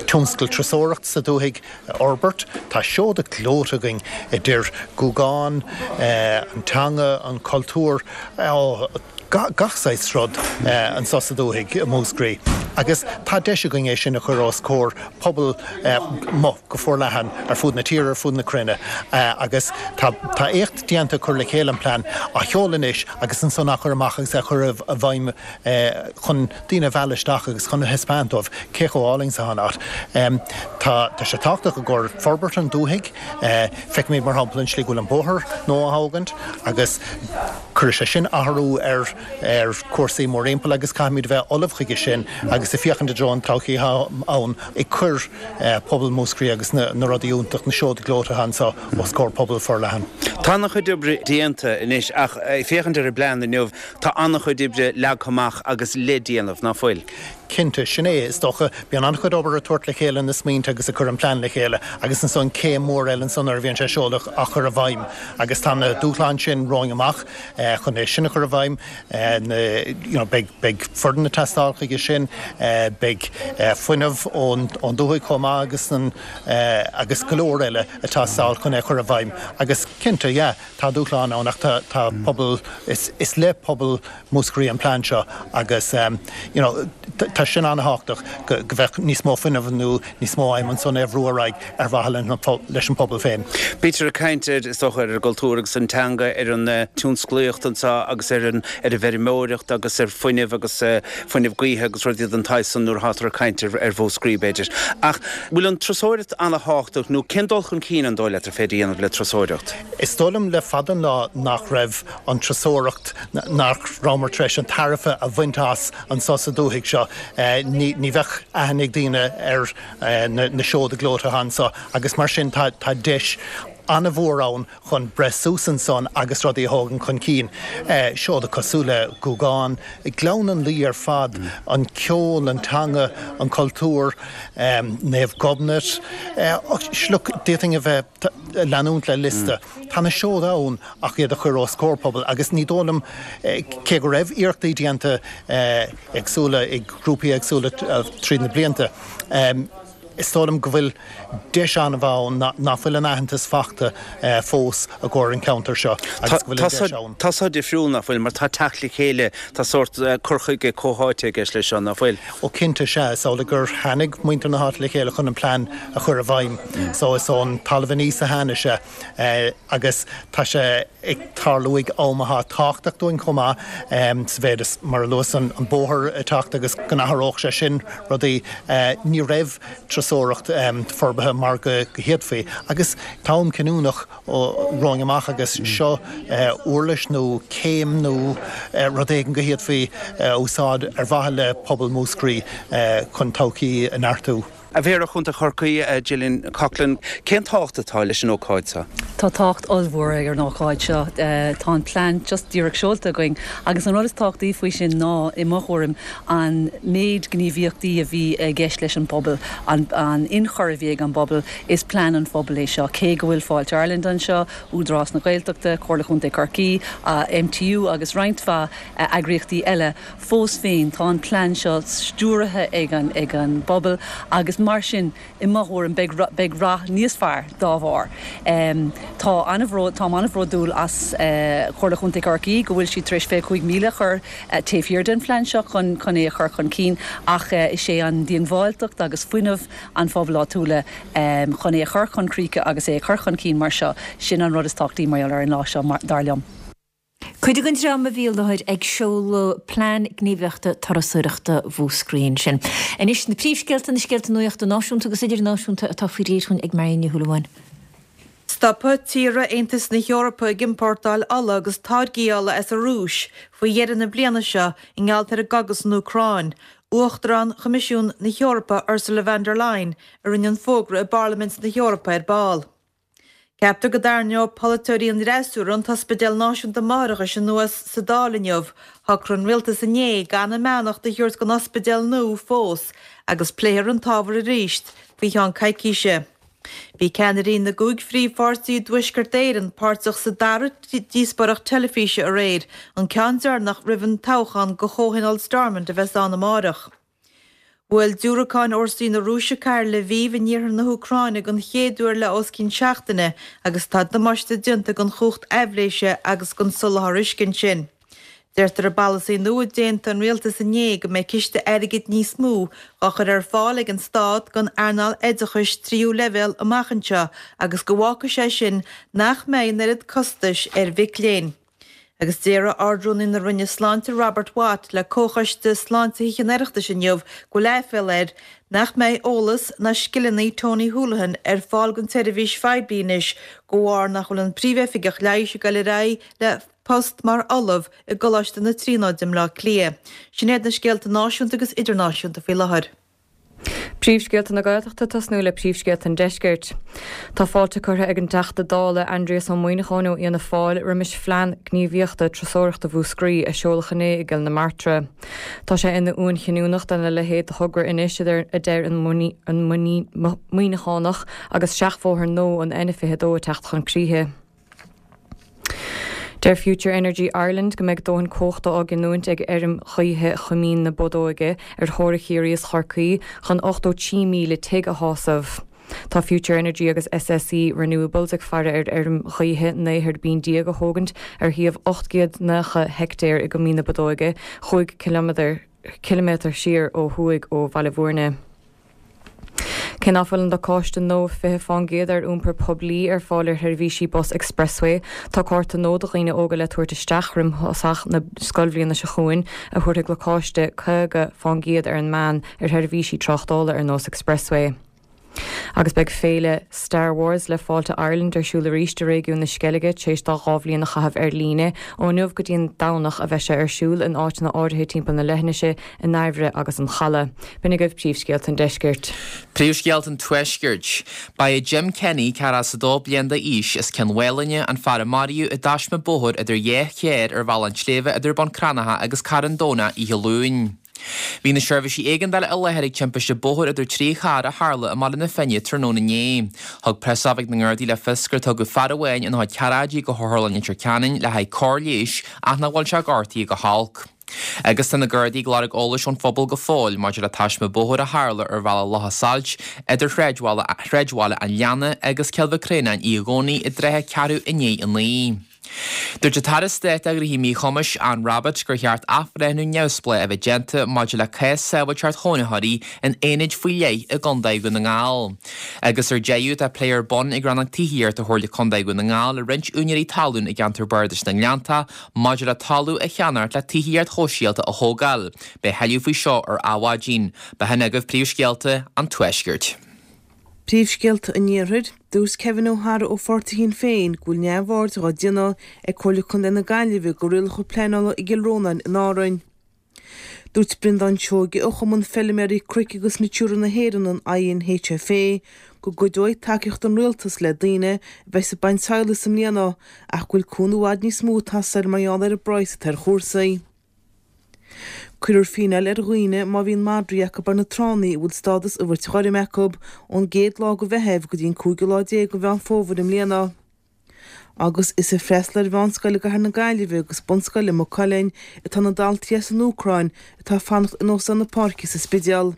tionscal turasóireachta sa dúthaigh a fhorbairt. Tá seoda gleoite againn idir Gúgán, an teanga, an cultúr, gach saghas rud anseo sa dúthaigh i Múscraí agus tá deis againn é sin a chur os comhair pobal go forleathan ar fud na tíre, ar fud na cruinne agus tá éacht déanta cur le chéile an plean á sheoladh anois agus ansan á chur amach agus á chur i bhfeidhm chun daoine a mhealladh isteach agus chun a thaispeáint dóibh cé chomh álainn is atá an áit. Tá sé tábhachtach i gcomhair forbairt an dúthaigh. Feicimid mar shampla an slí go bhfuil an bóthar nua á thógaint agus Cuirfidh sé sin athrú ar ar chúrsaí mórthimpeall agus caithfimid a bheith ullamh chuige sin agus ag féachaint i dtreo an todhchaí atá ann ag cur pobal Mhúscraí agus na rudaí iontach, na seoda gleoite atá anseo os comhair pobal forleathan. Tá an-chuid oibre déanta anois ach ag féachaint ar an bplean inniu tá an-chuid oibre leagtha amach agus le déanamh, ná fuil? Cinnte, sin é. Is dócha, bíonn an-chuid obair ag tabhairt le chéile na smaointe agus ag cur an plean le chéile agus ansan céim mhór eile ansan nuair a bhíonn sé seolta á chur i bhfeidhm agus tá na dúshláin sin romhainn amach chun é sin a chur i bhfeidhm. Na, you know, beidh, beidh foireann ag teastáil chuige sin, beidh fuinneamh ón, ón dúthaigh chomh maith agus an, agus go leor eile ag teastáil chun é a chur i bhfeidhm agus cinnte, yeah, tá dúshláin ann ach tá, tá pobal, is, is le pobal Mhúscraí an plean seo agus you know tá sin an-thábhachtach go go bheadh níos mó fuinnimh nó níos mó aidhm ansan é a bhrú ar aghaidh ar mhaithe leis an pobal féin. Bítear ag caint ar, is dócha, ar an gcultúr agus an teanga, ar an tionsclaíocht anseo agus ar an ar an bhfeirmeoireacht agus ar fuinneamh agus fuinneamh gaoithe agus rudaí den tsaghas san nuair atáthar ag caint ar ar Mhúscraí b'fhéidir. Ach bhfuil an turasóireacht an-thábhachtach nó cén dul chun cinn an dóigh leat ar féidir a dhéanamh le turasóireacht? Is dóigh liom le fada an lá nach raibh an turasóireacht, nach rabhamar tar éis an tairbhe a bhaint as anseo sa dúthaigh seo. Ní bheadh aithne ag daoine ar na seoda gleoite atá anseo agus mar sin tá deis an-mhór ann chun breith suas ansan agus rudaí a thógaint chun cinn. Seoda cosúil le Gúgán, Gleann an Laoi ar fad, an ceol, an teanga, an cultúr, Naomh Gobnait, look, d'fhéadfainn a bheith ag leanúint le liosta. Tá na seoda ann ach iad a chur os comhair pobail agus ní dóigh liom, cé go raibh iarrachtaí déanta éagsúla ag grúpaí éagsúla tríd na blianta, is dóigh liom go bhfuil deis an-mhaith ann nach bhfuil an aitheantas fachta fós i gcomhair an cheantair seo agus go bhfuil an deis ann. Tá seo difriúil, nach bhfuil, mar tá teacht le chéile, tá sórt cur chuige comhtháite i gceist leis seo, nach bhfuil? Ó cinnte, sea, is amhlaidh gur tháinig muintir na háite le chéile chun an plean a chur i bhfeidhm. So is ón talamh aníos a tháinig sé. Agus tá sé ag tarlú ag am atá tábhachtach dúinn chomh maith, sa mhéid is, mar a luas, an bóthar ag teacht agus go n-athródh sé sin rudaí. Ní raibh turasóireacht forbartha mar go bhféadfaí. Agus tá am cinniúnach romhainn amach agus seo uirlis nó céim nó rud éigin go bhféadfaí a úsáid ar mhaithe le pobal Mhúscraí chun todhchaí a neartú. A Mhéara Chontae Chorcaí, Gillian Coughlan, cén tábhacht atá leis an ócáid seo? Tá tábhacht ollmhór ag an ócáid seo. Tá an plean just díreach seolta againn agus an rud is tábhachtaí faoi sin ná, i mo thuairim, an méid gníomhaíochtaí a bhí i gceist leis an bpobal, an ionchur a bhí ag an bpobal. Is plean an phobail é seo. Cé go bhfuil Fáilte Ireland anseo, Údarás na Gaeltachta, Comhairle Chontae Chorcaí, MTU agus roinnt mhaith eagraíochtaí eile, Fós féin, tá an plean seo stiúraithe ag an ag an bpobal agus mar sin, i mo thuairim, beidh beidh rath níos fearr dá bharr. Tá an-bhród táim an-bhródúil as Comhairle Chontae Chorcaí go bhfuil siad tar éis 25,000 a chur taobh thiar den phlean seo chun chun é a chur chun cinn ach is é an diongbháilteacht agus fuinneamh an phobail áitiúla chun é a chur chun críche agus é a chur chun cinn mar seo, sin an rud is tábhachtaí mar gheall ar an lá seo, dar liom. Cuid den dream a bhí i láthair ag seoladh Plean Gníomhaíochta Turasóireachta Mhúscraí ansin. Anois na príomhscéalta, na scéalta nuachta náisiúnta agus idirnáisiúnta atá faoi réir dhúinn ag Marion Ní Shúilleabháin. Stopfaidh tíortha Aontas na hEorpa ag iompórtáil ola agus táirgí ola as an Rúis faoi dheireadh na bliana seo i ngeall ar an gcogadh san Úcráin. Uachtarán Choimisiún na hEorpa Ursula von der Leyen a rinne an fógra i bParlaimint na hEorpa ar ball. Ceaptar go dtarraingeoidh polaiteoirí an fhreasúra an tOspidéal Náisiúnta Máithreachais anuas sa Dáil inniu. Shocraigh an Rialtas inné gan a mbeannacht a thabhairt don ospidéal nua fós agus pléifear an t-ábhar arís faoi cheann coicíse. Bhí ceannairí na gcúig phríomhpháirtí i dTuaisceart Éireann páirteach sa dara díospóireacht teilifíse aréir, an ceann deireanach roimh an toghchán go Chomhthionól Stormont a bheas ann amárach. Bhuail diúracáin fhórsaí na Rúise cathair Lviv in iarthar na hÚcráine den chéad uair le os cionn seachtaine agus tá damáiste déanta don chumhacht aibhléise agus don soláthar uisce ansin. Deirtear i bpolasaí nua a d'aontaigh an rialtas inné go mbeidh ciste airgid níos mó á chur ar fáil ag an stát don earnáil oideachais tríú leibhéal amach anseo agus go bhfágfaidh sé sin nach mbeidh an oiread costais ar mhic léinn. Agus déarfaidh Ard-Rúnaí na Roinne Sláinte Robert Watt le Comhchoiste Sláinte Thithe an Oireachtais inniu go bhfuil aiféala air nach mbeidh eolas ná scileanna Tony Holohan ar fáil don tseirbhís phoiblí anois de bharr nach bhfuil an Príomhoifigeach Leighis ag dul ar aghaidh le post mar ollamh i gColáiste na Tríonóide i mBleá Cliath. Sin iad na scéalta náisiúnta agus idirnáisiúnta faoi láthair. Príomhscéalta na Gaeltachta ag tosnú le príomhscéalta an Deiscirt. Tá fáilte curtha ag an dTeachta Dála Aindrias Ó Muimhneacháin ó Fhianna Fáil roimis Phlean Gníomhaíochta Turasóireachta Mhúscraí a seoladh inné i gCill na Martra. Tá sé ina uain chinniúnach dona leithéid de thogra anois, a deir an Muimhneachánach, agus seachbhóthar nua an N22 ag teacht chun críche. Deir Future Energy Ireland go mbeidh dóthain cumhachta á giniúint ag fheirm ghaoithe Choimín na Bodóige ar theorainn Chiarraí is Chorcaí chun 83,000 tigh a shásamh. Tá Future Energy agus SSE Renewables ag faire ar fheirm ghaoithe 19 thuirbín a thógaint ar shuíomh 890 heictéar i gCoimín na Bodóige, chúig chiliméadar siar ó thuaidh ó Bhaile Bhúirne. Cé nach bhfuil an lacáiste nua 20% ar iompar poiblí ar fáil ar sheirbhísí bus Expressway, tá cárta nua do dhaoine óga le tabhairt isteach roim thosach na scoilbhliana seo chugainn a thabharfaidh lacáiste 50% ar an meán ar sheirbhísí tráchtála ar nós Expressway. Agus beidh féile Star Wars le Fáilte Ireland ar siúl arís i réigiún na Sceilge tar éis dó 2 bhliain a chaitheamh ar líne. Ó inniu go dtí an Domhnach a bheidh sé ar siúl in áiteanna áirithe timpeall na leithinise, i nDairbhre agus an Chaladh. B'in agaibh príomhscéalta an Deiscirt. Príomhscéalta an Tuaiscirt. Ba é Jim Kenny, 42 bliain d'aois, as Cionn Mhálanna, an fear a maraíodh i dtaisme bóthair idir dhá charr ar Bhealach an tSléibhe idir Bun Cranncha agus Carn Domhnach oíche Luain. Bhí na seirbhísí éigeandála i láthair ag timpiste bóthair idir 3 charr a tharla i mBaile na Finne tráthnóna inné. Thug preasoifig na nGardaí le fios gur tugadh fear amháin ina chuid cearráidí go hOtharlann Leitir Ceanainn le haghaidh cóir leighis ach nach bhfuil sé gortaithe go holc. Agus tá na Gardaí ag lorg eolais ón phobal go fóill maidir le taisme bóthair a tharla ar Bhealach Locha Sailt idir Shráidbhaile an Leanna agus Cill Mhic Réanáin oíche Dhomhnaigh i dtrátha ceathrú i ndiaidh a 9. Dúirt an tAire Stáit do Ghnóthaí Míchumais, Anne Rabbitte, gur cheart athbhreithniú neamhspleách a bheith déanta maidir le cás sábháilteacht chónaitheoirí in aonaid faoi leith i gContae Dhún na nGall. Agus ar deireadh, tá plé ar bun ag Rannóg Tithíochta Chomhairle Contae Dhún na nGall le roinnt úinéirí talún i gceantar Bardais na nGleanntach Maidir le talamh a cheannacht le tithíocht shóisialta a thógáil, beidh tuilleadh faoi seo ar Adhmhaidin. B'shin agaibh príomhscéalta an Tuaiscirt. Príomhscéalta an Iarthair, Dúirt Kevin O'Hara ó pháirtí Shinn Féin go bhfuil neamhaird dhá déanamh ag Comhairle Contae na Gaillimhe go rialacha pleanála i gCill Rónáin in Árainn. Dúirt Breandán Seoige ó Chumann Feilméaraí Cnoic agus Natura na hÉireann, an INHFA, go gcuideoidh tacaíocht ón Rialtas le daoine a bheas ag baint sadhlais i mbliana ach go bhfuil cúnamh i bhfad níos mó ag teastáil mar gheall ar an bpraghas atá ar chúrsaí. Cuirfear fíneáil ar dhaoine má bhíonn madraí acu ar na tránna a bhfuil stádas an bhrait ghoirm acu ón gcéad lá de Mheitheamh go dtí an cúigiú lá déag de Mheán Fómhair i mbliana. Agus is ag freastal ar mheánscoil i gcathair na Gaillimhe agus bunscoil i Maigh Cuilinn atá na daltaí as an Úcráin atá ag fanacht in Óstán na Páirce sa Spidéal.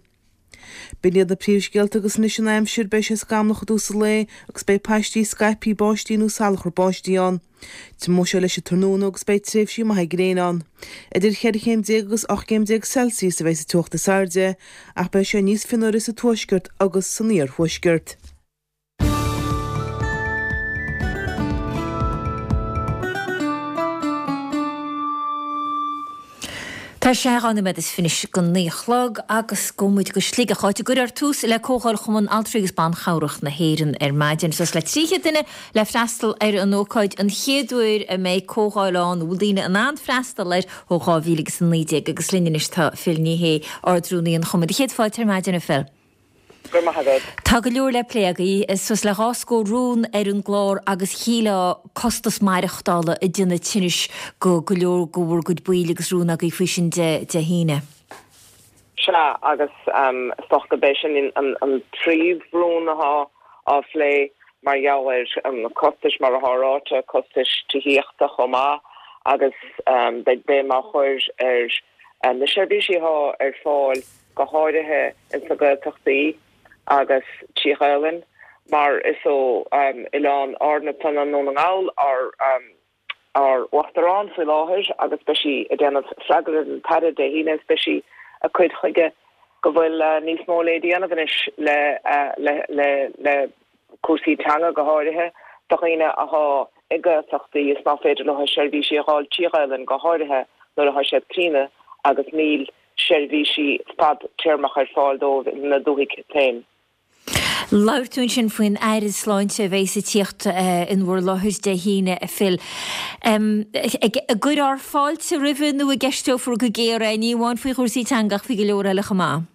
B'in iad na príomhscéalta agus anois an aimsir, beidh sé scamallach i dtús an lae agus beidh paistí scaipthe báistí nó salachar báistí ann. Tiomóidh sé leis an tráthnóna agus beidh tréimhsí maithe gréine ann. Idir cheithre chéim déag agus 18 gcéim Celsius a bheidh sa teocht is airde ach beidh sé níos fionnuaire sa tuaisceart agus san iarthuaisceart. Tá sé 2 nóiméad is fiche go 9 a chlog agus gabhfaidh muid go Sligeach, áit a gcuirfear tús le Comhdháil Chumann Altraí agus Ban Chabhrach na hÉireann ar maidin. Suas le 300 duine le freastal ar an ócáid, an chéad uair a mbeidh comhdháil ann a bhfuil daoine in ann freastal air ó 2019 agus linn anois tá Phil Ní Sheaghdha, Ard-Rúnaí an Chumainn. Céad fáilte ar maidin, a Phil. Go raibh maith agat. Tá go leor le plé agaibh, suas le 2 scór rún ar an gclár agus shílfeá costas maireachtála ag déanamh tinnis go go leor de bhur gcuid baill agus rún agaibh faoi sin Dé hAoine. Sea, agus is dócha gurb é sin an príomhrún atá á phlé mar gheall ar na costais mar atá ráite, costais tithíochta chomh maith agus beidh béim á chur ar na seirbhísí atá ar fáil go háirithe ins na Gaeltachtaí agus trí Ghaelainn mar is ó Oileáin Árann atá i nDún na nGall ár ár Uachtarán faoi láthair agus beidh sí ag déanamh freagra ar an tAire Dé hAoine agus beidh sí ag cur chuige go bhfuil níos mó le déanamh anois le le le le cúrsaí teanga go háirithe do dhaoine athá i Gaeltachtaí is ná féidir leo seirbhísí a dh'fháil trí Ghaelainn go háirithe nuair athá siad críonna agus níl seirbhísí fad-téarmach ar fáil dóibh ina ndúthaigh féin. Labhair tú ansin faoin Aire Sláinte a bheas ag tíocht in bhur láthair Dé hAoine, a Phil. An gcuirfear fáilte roimhe nó an gceisteofar go géar é, ní amháin faoi chúrsaí teanga ach faoi go leor eile chomh maith?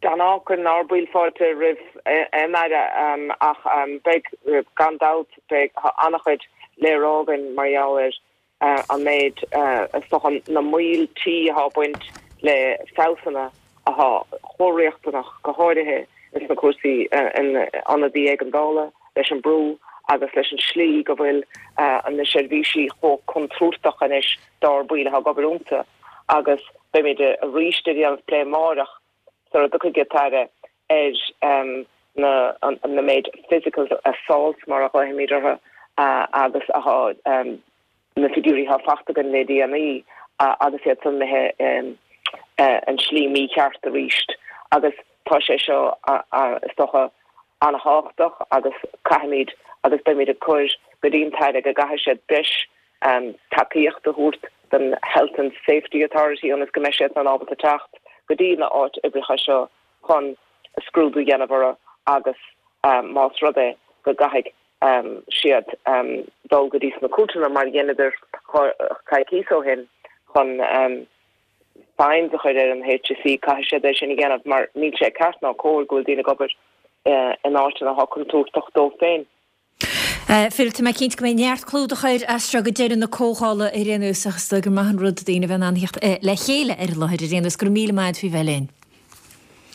De ghnáth cuireann ár baill fáilte roimh aon Aire ach beidh, gan dabht, beidh an-chuid le rá againn mar gheall ar an méid, is dócha, na moilltí atá ag baint le feabhsanna atá chomh riachtanach, go háirithe ins na cúrsaí in ionadaí éigeandála, leis an brú agus leis an slí go bhfuil na seirbhísí chomh contúirteach anois dár baill atá ag obair iontu agus beimid arís ag déanamh plé amáireach sara dtiocfaidh an tAire ar na méid physical assaults mar a ghlaofaimid orthu agus athá na figiúirí atá fachta againn le déanaí agus iad san imithe an slí mícheart arís agus tá sé seo is dócha an-thábhachtach agus caithfimid agus beimid ag cur go dtí an tAire go gcaithfidh siad breis tacaíocht a thabhairt don Health and Safety Authority ionas go mbeidh siad san ábalta teacht go dtí na áit oibreacha seo chun scrúdú a dhéanamh orthu agus más rud é go gcaithfidh siad dul go dtí sna cúirteanna mar a dheineadar coicíos ó shin chun fines a chur ar an HSE, caithfidh siad é sin a dhéanamh mar níl sé ceart ná cóir go bhfuil daoine ag obair in áiteanna atá contúirteach dóibh féin. Phil, tá mé cinnte go mbeidh neart clúdach air as seo go deireadh na comhdhála ar aon nós ach is dóigh gur maith an rud daoine a bheith in ann theacht le chéile ar an láthair ar aon nós. Go raibh míle maith agat faoi bheith linn.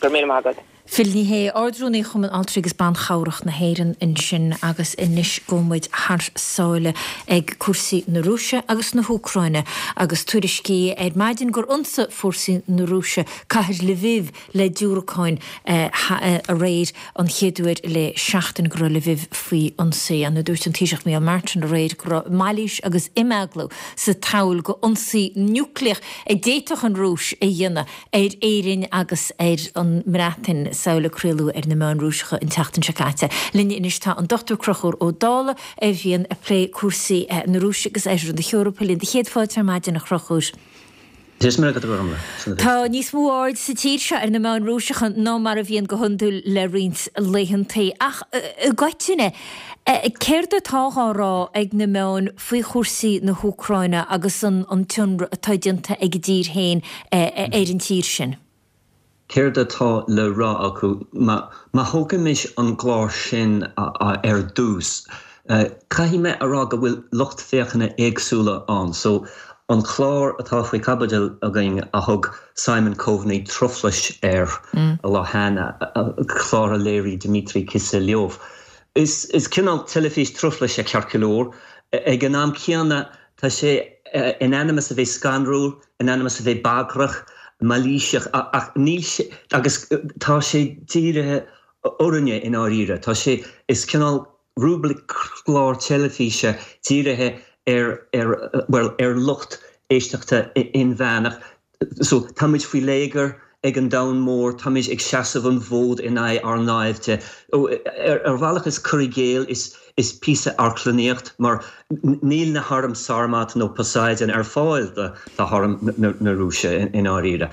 Go raibh míle maith agat. Phil Ní Sheaghdha, Ard-Rúnaí Chumann Altraí agus Ban Chabhrach na hÉireann ansin agus anois gabhfaidh muid thar sáile ag cúrsaí na Rúise agus na hÚcráine agus tuairiscí ar maidin gur ionsaigh fórsaí na Rúise cathair Lviv le diúracáin aréir, an chéad uair le seachtain go raibh Lviv faoi ionsaí. An dúirt an Taoiseach Micheál Martin aréir go raibh mailís agus imeaglú sa tsamhail go ionsaí núicléach a d'fhéadfadh an Rúis a dhéanamh ar Éirinn agus ar an mBreatain, samhail a craoladh ar na meáin Rúiseacha an tseachtain seo caite. Linn anois tá an Dr Conchúr Ó Dálaigh a bhíonn ag plé cúrsaí na Rúise agus Oirthear na hEorpa linn. Do chéad fáilte ar maidin, a Chonchúir. Tá níos mó aird sa tír seo ar na meáin Rúiseacha ná mar a bhíonn go hiondúil le roinnt laethantaí. Ach i gcoitinne, céard atá á rá ag na meáin faoi chúrsaí na hÚcráine agus an t-ionradh atá déanta ag a dtír féin ar an tír sin? Céard atá le rá acu? Má thógaimis an gclár sin ar dtús, caithfidh mé a rá go bhfuil lucht féachana éagsúla ann. So, an clár atá faoi chaibidil againn a thug Simon Coveney truflais air an lá cheana, clár a léirigh Dmitry Kiselyov, is cineál teilifís truflais é ceart go leor. Ag an am céanna, tá sé in ainm is a bheith scanrúil, in ainm is a bheith bagrach, mailíseach, ach níl sé, agus tá sé dírithe orainne i ndáiríre. Tá sé, is cineál rúibric clár teilifíse dírithe ar, ar, bhuel, ar lucht éisteachta inmheánach. So, táimid faoi léigear ag an domhan mór, táimid ag seasamh an fhóid in aghaidh ár naimhde. Ar bhealach is cur i gcéill, is. Is píosa amharclannaíocht mar níl na hairm Sarmat nó Poseidon ar fáil do harm na Rúise i ndáiríre.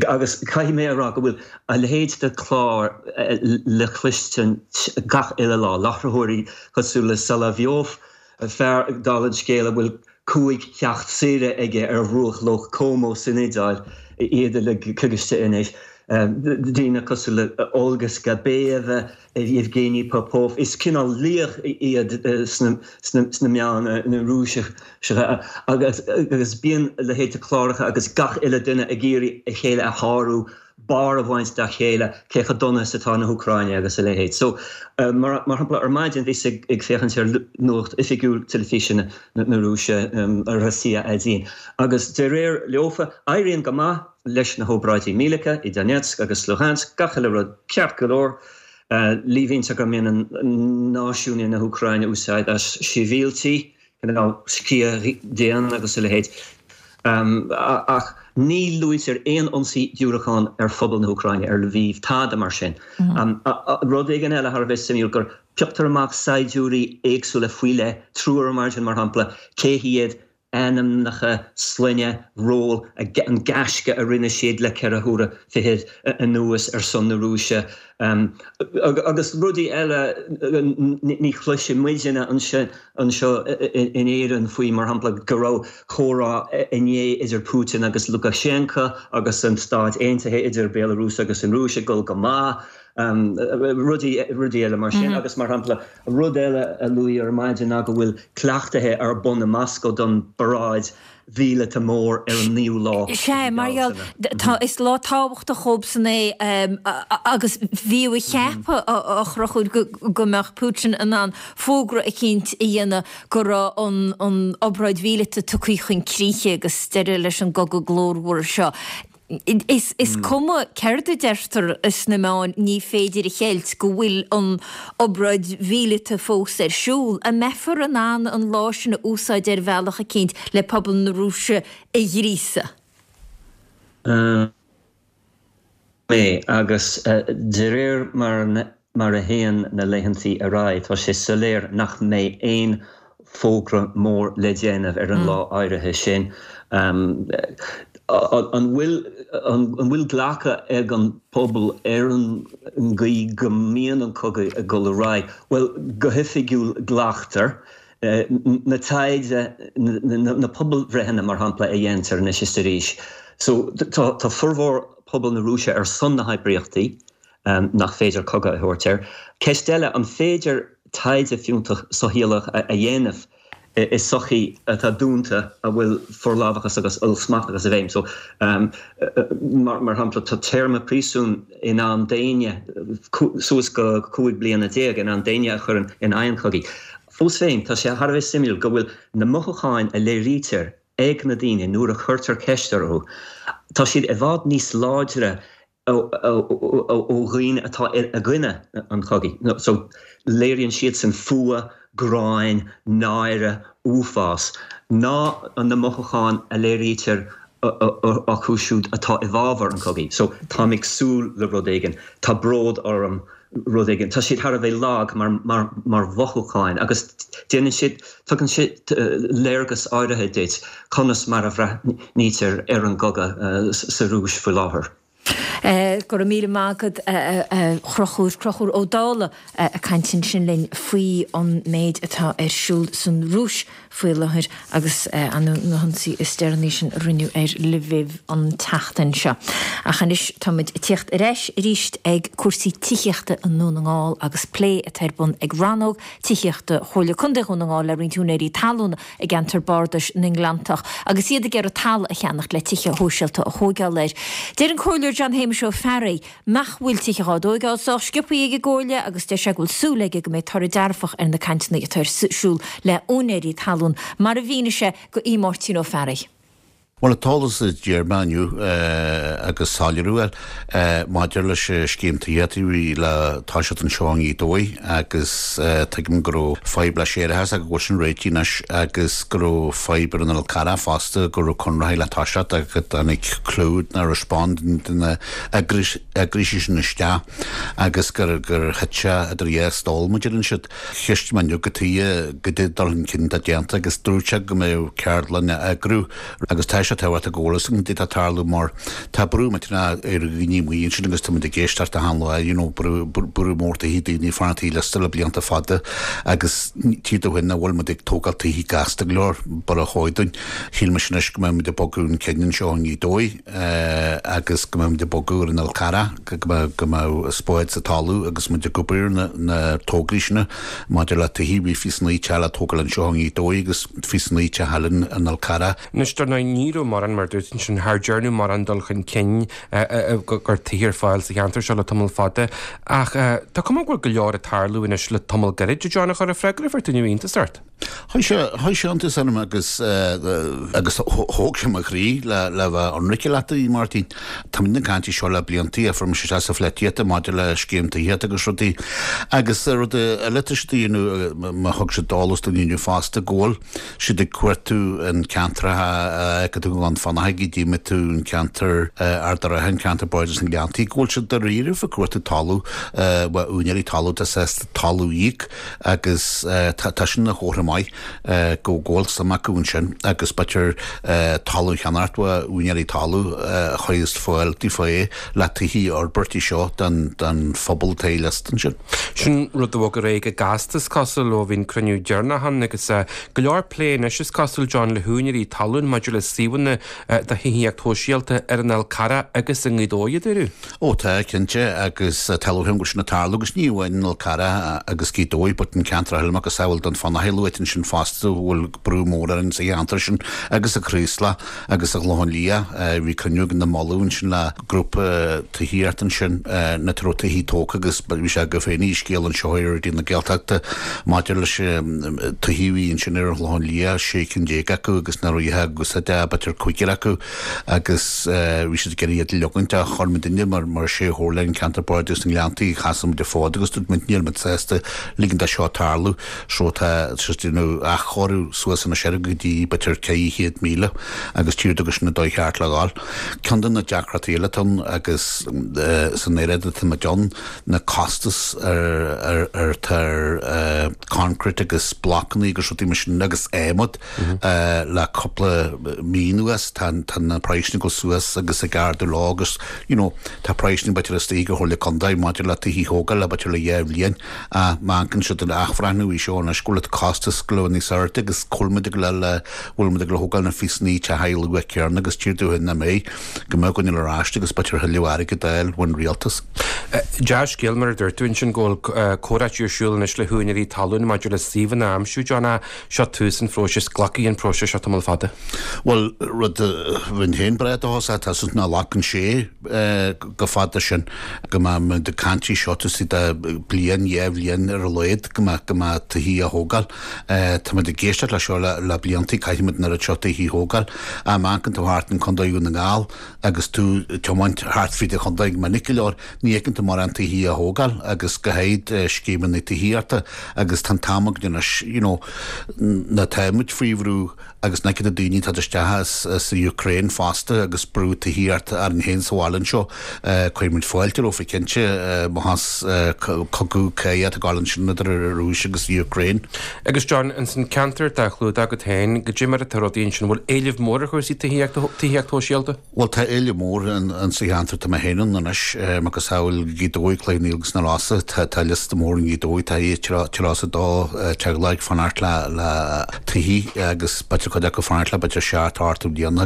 Agus caithfidh mé a rá go bhfuil a leithéid de chlár le cloistint gach uile lá, láithreoirí cosúil le Solovyov, fear, dála an scéil, a bhfuil 5 theach saoire aige ar bhruach Loch Como san Iodáil, iad uilig coigistithe anois, daoine cosúil le Olga Skabeyeva, Yevgeny Popov, is cineál laoch iad sna meáin na Rúiseacha agus bíonn a leithéid de chláracha agus gach uile duine ag iarraidh a chéile a shárú. barr a bhaint dá chéile cé chomh dona is atá na hÚcráine agus a leithéid. So, mar shampla, ar maidin bhíos ag féachaint ar nuacht oifigiúil teilifíse na Rúise, Rossiya Odin, agus de réir leofa, éiríonn go maith leis na hóbráidí míleata i Donetsk agus Luhansk, gach uile rud ceart go leor. Líomhaintear go mbaineann náisiúnaigh na hÚcráine úsáid as sibhialtaigh, cineál sciath dhian agus a leithéid. Ach ní luaitear aon ionsaí diúracán ar phobal na hÚcráine, ar Lviv, tada mar sin. Rud éigin eile thar a bheith suimiúil, gur pioctar amach saighdiúirí éagsúla faoi leith, triúr ar maidin mar shampla, cé hiad, ainmneacha, sloinne, ról, an gaisce a rinne siad le 4 huaire fichead anuas ar son na Rúise agus rudaí eile ní chloiseann muidne anseo in Éirinn faoi, mar shampla, go raibh comhrá inné idir Putin agus Lukashenko agus an Stáit Aontaithe idir Béalarúis agus an Rúis ag dul go maith, rudaí eile mar sin agus, mar shampla, Rud eile a luadh ar maidin ná go bhfuil cleachtaithe ar bun i Moscó don bparáid mhíleata mór ar an naoú lá de Sea, mhí mar gheall, Bealtaine. tá, is lá tábhachtach dhóibhsan é agus bhíodh a cheapadh, a Chonchúir, go, go mbeadh Putin in ann fógra eicínt a dhéanamh go raibh an, an obráid mhíleata tugtha chun críche agus deireadh leis an gcogadh glórmhar seo. Is cuma céard a deirtear sna meáin, ní féidir a cheilt go bhfuil an obráid mhíleata fós ar siúl. An mbeifear in ann an lá sin a úsáid ar bhealach eicínt le pobal na Rúise a ghríosadh? mé, agus de réir mar a théann na laethantaí ar aghaidh, tá sé soiléir nach mbeidh aon fógra mór le déanamh ar an lá áirithe sin. An bhfuil an bhfuil glacadh ag an bpobal ar an gcaoi go mbíonn an cogadh ag dul ar aghaidh? Bhuel, go hoifigiúil glactar. Na taighde, na pobalbhreitheanna mar shampla a dhéantar anois is arís. So tá formhór pobal na Rúise ar son na hoibríochtaí nach féidir cogadh a thabhairt air. Ceist eile, an féidir taighde fiúntach socheolaíoch a dhéanamh i sochaí atá dúnta a bhfuil forlámhachas agus ollsmachtachas i bhfeidhm? So, mar shampla, tá téarma príosúin in ann daoine, suas go 15 bliana, in ann daoine a chur in aghaidh an chogaidh. Fós féin, tá sé thar a bheith suimiúil go bhfuil na mothúcháin a léirítear ag na daoine nuair a chuirtear ceist orthu, tá siad i bhfad níos láidre ó dhaoine atá i gcoinne an chogaidh. So, léiríonn siadsan fuath, gráin, náire, uafás, ná na mothúcháin a léirítear acu siúd atá i bhfabhar an chogaidh. So, táim ag súil le rud éigin, tá bród orm rud éigin. Tá siad thar a bheith lag mar mar mhothúcháin agus déanann siad, tugann siad léargas áirithe duit conas mar a bhreathnaítear ar an gcogadh sa Rúis faoi láthair. Go raibh míle maith agat a Chonchúir, Conchúr Ó Dálaigh ag caint ansin linn faoi an méid atá ar siúl san Rúis faoi láthair agus na hionsaí is deireanaí sin a rinneadh ar Lviv an tseachtain seo. Ach anois tá muid ag tíocht ar ais arís ag cúrsaí tithíochta i nDún na nGall agus plé atá ar bun ag rannóg tithíochta Chomhairle Contae Dhún na nGall le roinnt úinéirí talún i gceantar bardais na nGleanntach agus iad ag iarraidh talamh a cheannacht le tithe shóisialta a thóigeáil air. Deir an Comhairleoir John Shéamuis Ó Fearraigh nach bhfuil tithe dhá dtóigeáil sách sciobthaí ag an gComhairle agus deir sé go bhfuil súil aige go mbeidh toradh dearfach ar na cainteanna atá ar siúl le úinéirí talún, mar a mhínigh sé do Aodh Máirtín Ó Fearraigh. Bhuel, an t-eolas a d'iarr mé inniu agus soiléiriú a fháil maidir leis an scéim tithíochta a bhí le toiseacht anseo i nGaoth Dobhair agus tuigim go raibh fadhb le séarachas ach go bhfuil sin réitithe anois agus go raibh fadhb ar an Fhál Carrach fosta go raibh conraitheoirí le toiseacht ach go dtáinig Clúid nár respond de na eagraíochtaí sin isteach agus gur gur thit sé idir dhá stól mar a deireann siad. Cheistigh mé inniu cad chuige goidé dul chun cinn atá déanta agus dúirt sé go mbeadh ceardlann á eagrú agus tá sé tábhachtach go bhfuil fhios againn goidé atá ag tarlú mar tá brú millteanach ar dhaoine amuigh ansin agus tá muid ag éisteacht achan lá you know brú brú mór tithí daoine ag fanacht ar liosta le blianta fada agus tchí tú féin nach bhfuil muid ag tógáil tithí gasta go leor mar a chóir dúinn. Shíl mise anois go mbeidh muid ag bogadh chun cinn anseo i nGaoth Dobhair. agus go mbeidh muid ag bogadh ar an Fhál Carrach, go mbeadh spád sa talamh agus muid ag obair ar na tograí sin maidir le tithí. Bhí 29 teach le tógáil anseo i nGaoth Dobhair agus 29 teach eile in An Fhál Carrach. Anois, dar ndóigh, ní raibh. raibh mórán, mar a dúirt ansin, char dearnadh mórán dul chun cinn go gcuirfí tithe ar fáil sa cheantar seo le tamall fada. Ach tá cuma go bhfuil go leor ag tarlú anois le tamall gairid, a John, a chuir an freagra a fuair tú inniu iontas ort? Chuir sé, chuir sé iontas orm agus, agus thóg sé mo chroí le, le bheith ionraice leat, a Mháirtín. Táimid ag caint faoi seo le bliantaí, a fuair mise isteach sa pholaitíocht maidir le scéim tithíochta agus rudaí. Agus rud eile atá siad a dhéanamh, má thug siad eolas dúinn inniu fosta, go bhfuil siad ag cuartú an ceantracha a fheiceann tú i nGleann Fionnachaidh, go dtífidh tú an ceantar Ard an Rátha, an ceantar Bardais na nGleanntaí, go bhfuil siad dáiríribh ag cuartú talamh, bhuel úinéirí talún atá sásta talamh a íoc agus tá sin ina chomhartha maith go bhfuil suim acu ansin agus b'fhéidir talamh a cheannacht ó úinéirí talún a chuirfeas fáil daofa é le tithí a fhorbairt seo don phobal atá liosta ansin. Sin rud a bhog ar aghaidh go gasta is cosúil ó bhí an cruinniú deireanach ann agus go leor plé anois is cosúil John le húinéirí talún maidir le suíomhanna do thithíocht shóisialta ar an Fhál Carrach agus i nGaoth Dobhair a dúradh. Ó tá, cinnte, agus tá lúcháir orm go bhfuil sin ag tarlú agus ní amháin an Fhál Carrach agus Gaoth Dobhair but an ceantar eile macasamhail Dún Fionnachaidh luaite ansin fosta a bhfuil brú mór orainn sa cheantar sin agus sa Chraoslach agus sa Chlochán Liath. Bhí cruinniú againn i Molaidh ansin le grúpa tithíochta ansin na raibh tithí tógtha agus bhí sé agaibh féin scéal anseo ar Raidió na Gaeltachta maidir leis tithí a bhí ansin ar an Chlochán Liath, 16 cinn acu agus nach raibh á n-úsáid ach b'fhéidir cúigear acu. agus bhí siad ag iarraidh iad a leogaint ach chuir muidinne mar mar sé chomhairle an ceantar Bardais na nGleanntaí sheasaigh muid an fód agus dúirt muid níl muid sásta ligint dó seo tarlú so tá siad ag déanamh athchóiriú suas anois air go dtí b'fhéidir 400,000 agus tír agus sin an dóigh cheart le dhul. Ceann de na deacrachtaí eile atá ann agus san aeráid atá muid ann na costais ar ar ar atá ar concrete agus blocanna agus rudaí mar sin agus adhmad Le cúpla mí anuas tá na praghsanna ag dul suas agus ag ardú leo agus you know tá praghsanna b'fhéidir istigh ag an Chomhairle Contae maidir le tithí a thógáil le b'fhéidir le dhá bhliain ach má amharcann siad ar athbhreithniú í seo anois go bhfuil an costas go leor níos airde agus cá bhfuil muid ag dul le bhfuil muid ag dul a thógáil na phíosanna teach luath céanna agus tír dúinn nach mbeidh go mbeadh againn ar ais agus b'fhéidir thuilleadh airgid a fháil ón rialtas. Dea-scéal mar a dúirt tú ansin go bhfuil comhráití ar siúl anois le húinéirí talún maidir le suíomhanna a aimsiú, John, ach Seo tús an phróisis. Glacfaidh an próiseas seo tamall fada. Bhuel, rud a bheinn féin breá dóchasach, tá súil nach nglacann sé chomh fada sin, go mbeidh muid ag caint faoi seo taobh istigh de bliain, dhá bhliain ar a laghad, go mbeadh, go mbeadh tithí á thógáil. Tá muid ag éisteacht le seo le blianta, caithfidh muid an oiread seo tithí a thógáil. Má amharcann tú thart in Contae Dhún na nGall agus tú ag tiomáint thart fríd an chontae go minic go leor, Ní fheiceann tú mórán tithí á thógáil agus go háirid scéimeanna tithíochta agus tá an t-am againn anois you know na tá muid faoi bhrú agus na céadta daoine atá isteach as as an Ukraine fosta agus brú tithíochta orainn féin sa bhaile anseo. Cuirfidh muid fáilte rompu cinnte má thás cogadh cathartha ag gabháil ansin idir an Rúis agus an Ukraine. Agus John, ins an ceantar atá á chlúdach agat féin, goidé mar atá rudaí ansin, bhfuil éileamh mór ar chúrsaí tithíochta, tithíocht shóisialta? Bhuel, tá éileamh mór in sa cheantar atá mé féin ann anois, macasamhail Gaoth Dobhair, Cloich Cheann Fhaola agus na Rosa. Tá liosta mór i nGaoth Dobhair, tá 32 teaghlach ag fanacht le le tithí agus b'fhéidir cuid acu ag fanacht le b'fhéidir 7, 8 bliana.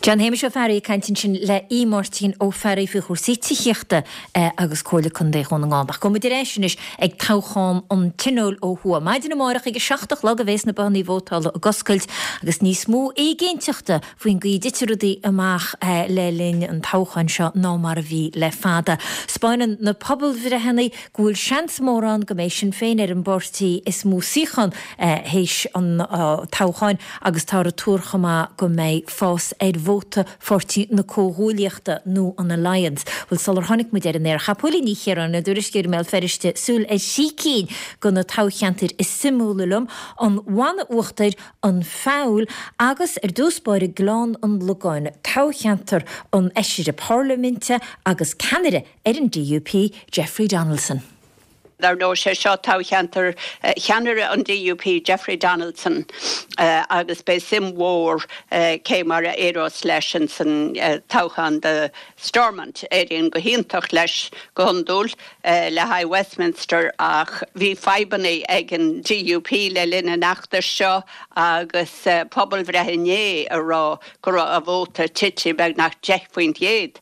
John Shéamais Ó Fearraigh ag caint ansin le Aodh Máirtín Ó Fearraigh faoi chúrsaí tithíochta agus Comhairle Contae Dhún na nGall. Ach gabhfaidh muid ar ais anois ag toghchán an Tionóil ó thuaidh. Maidin amárach ag a 7 a chlog a bhéas na bothannaí vótála ag oscailt agus níos mó éiginnteachta faoin gcaoi a dtitfidh rudaí amach le linn an toghcháin seo ná mar a bhí le fada. 'Spáineann na pobalbhreitheanna go bhfuil seans mór ann go mbeidh Sinn Féin ar an bpáirtí is mó suíochán théis an toghcháin agus táthar ag tuar chomh maith go mbeidh fás ar vóta Pháirtí na Comhghuaillíochta nó an Alliance. Bhuel, sular tháinig muid ar an aer, chaith Póilín Ní Chiaráin, ár dtuairisceoir i mBéal Feirste, súil ar thrí cinn de na toghcheantair is suimiúla liom, an Bhanna Uachtair, an Feabhal agus, ar dtús báire, Gleann an Logáin, toghcheantar an Fheisire Parlaiminte agus ceannaire ar an DUP, Jeffrey Donaldson. Dar ndóigh, sé seo toghcheantar cheannaire an DUP, Jeffrey Donaldson, agus beidh suim mhór cé mar a éireos leis ins an toghchán do Stormont. Éiríonn go hiontach leis go hiondúil le haghaidh Westminster ach bhí fadhbanna ag an DUP le linn an fheachtais seo agus pobalbhreith inné ag rá go raibh a vóta tite beagnach 10%.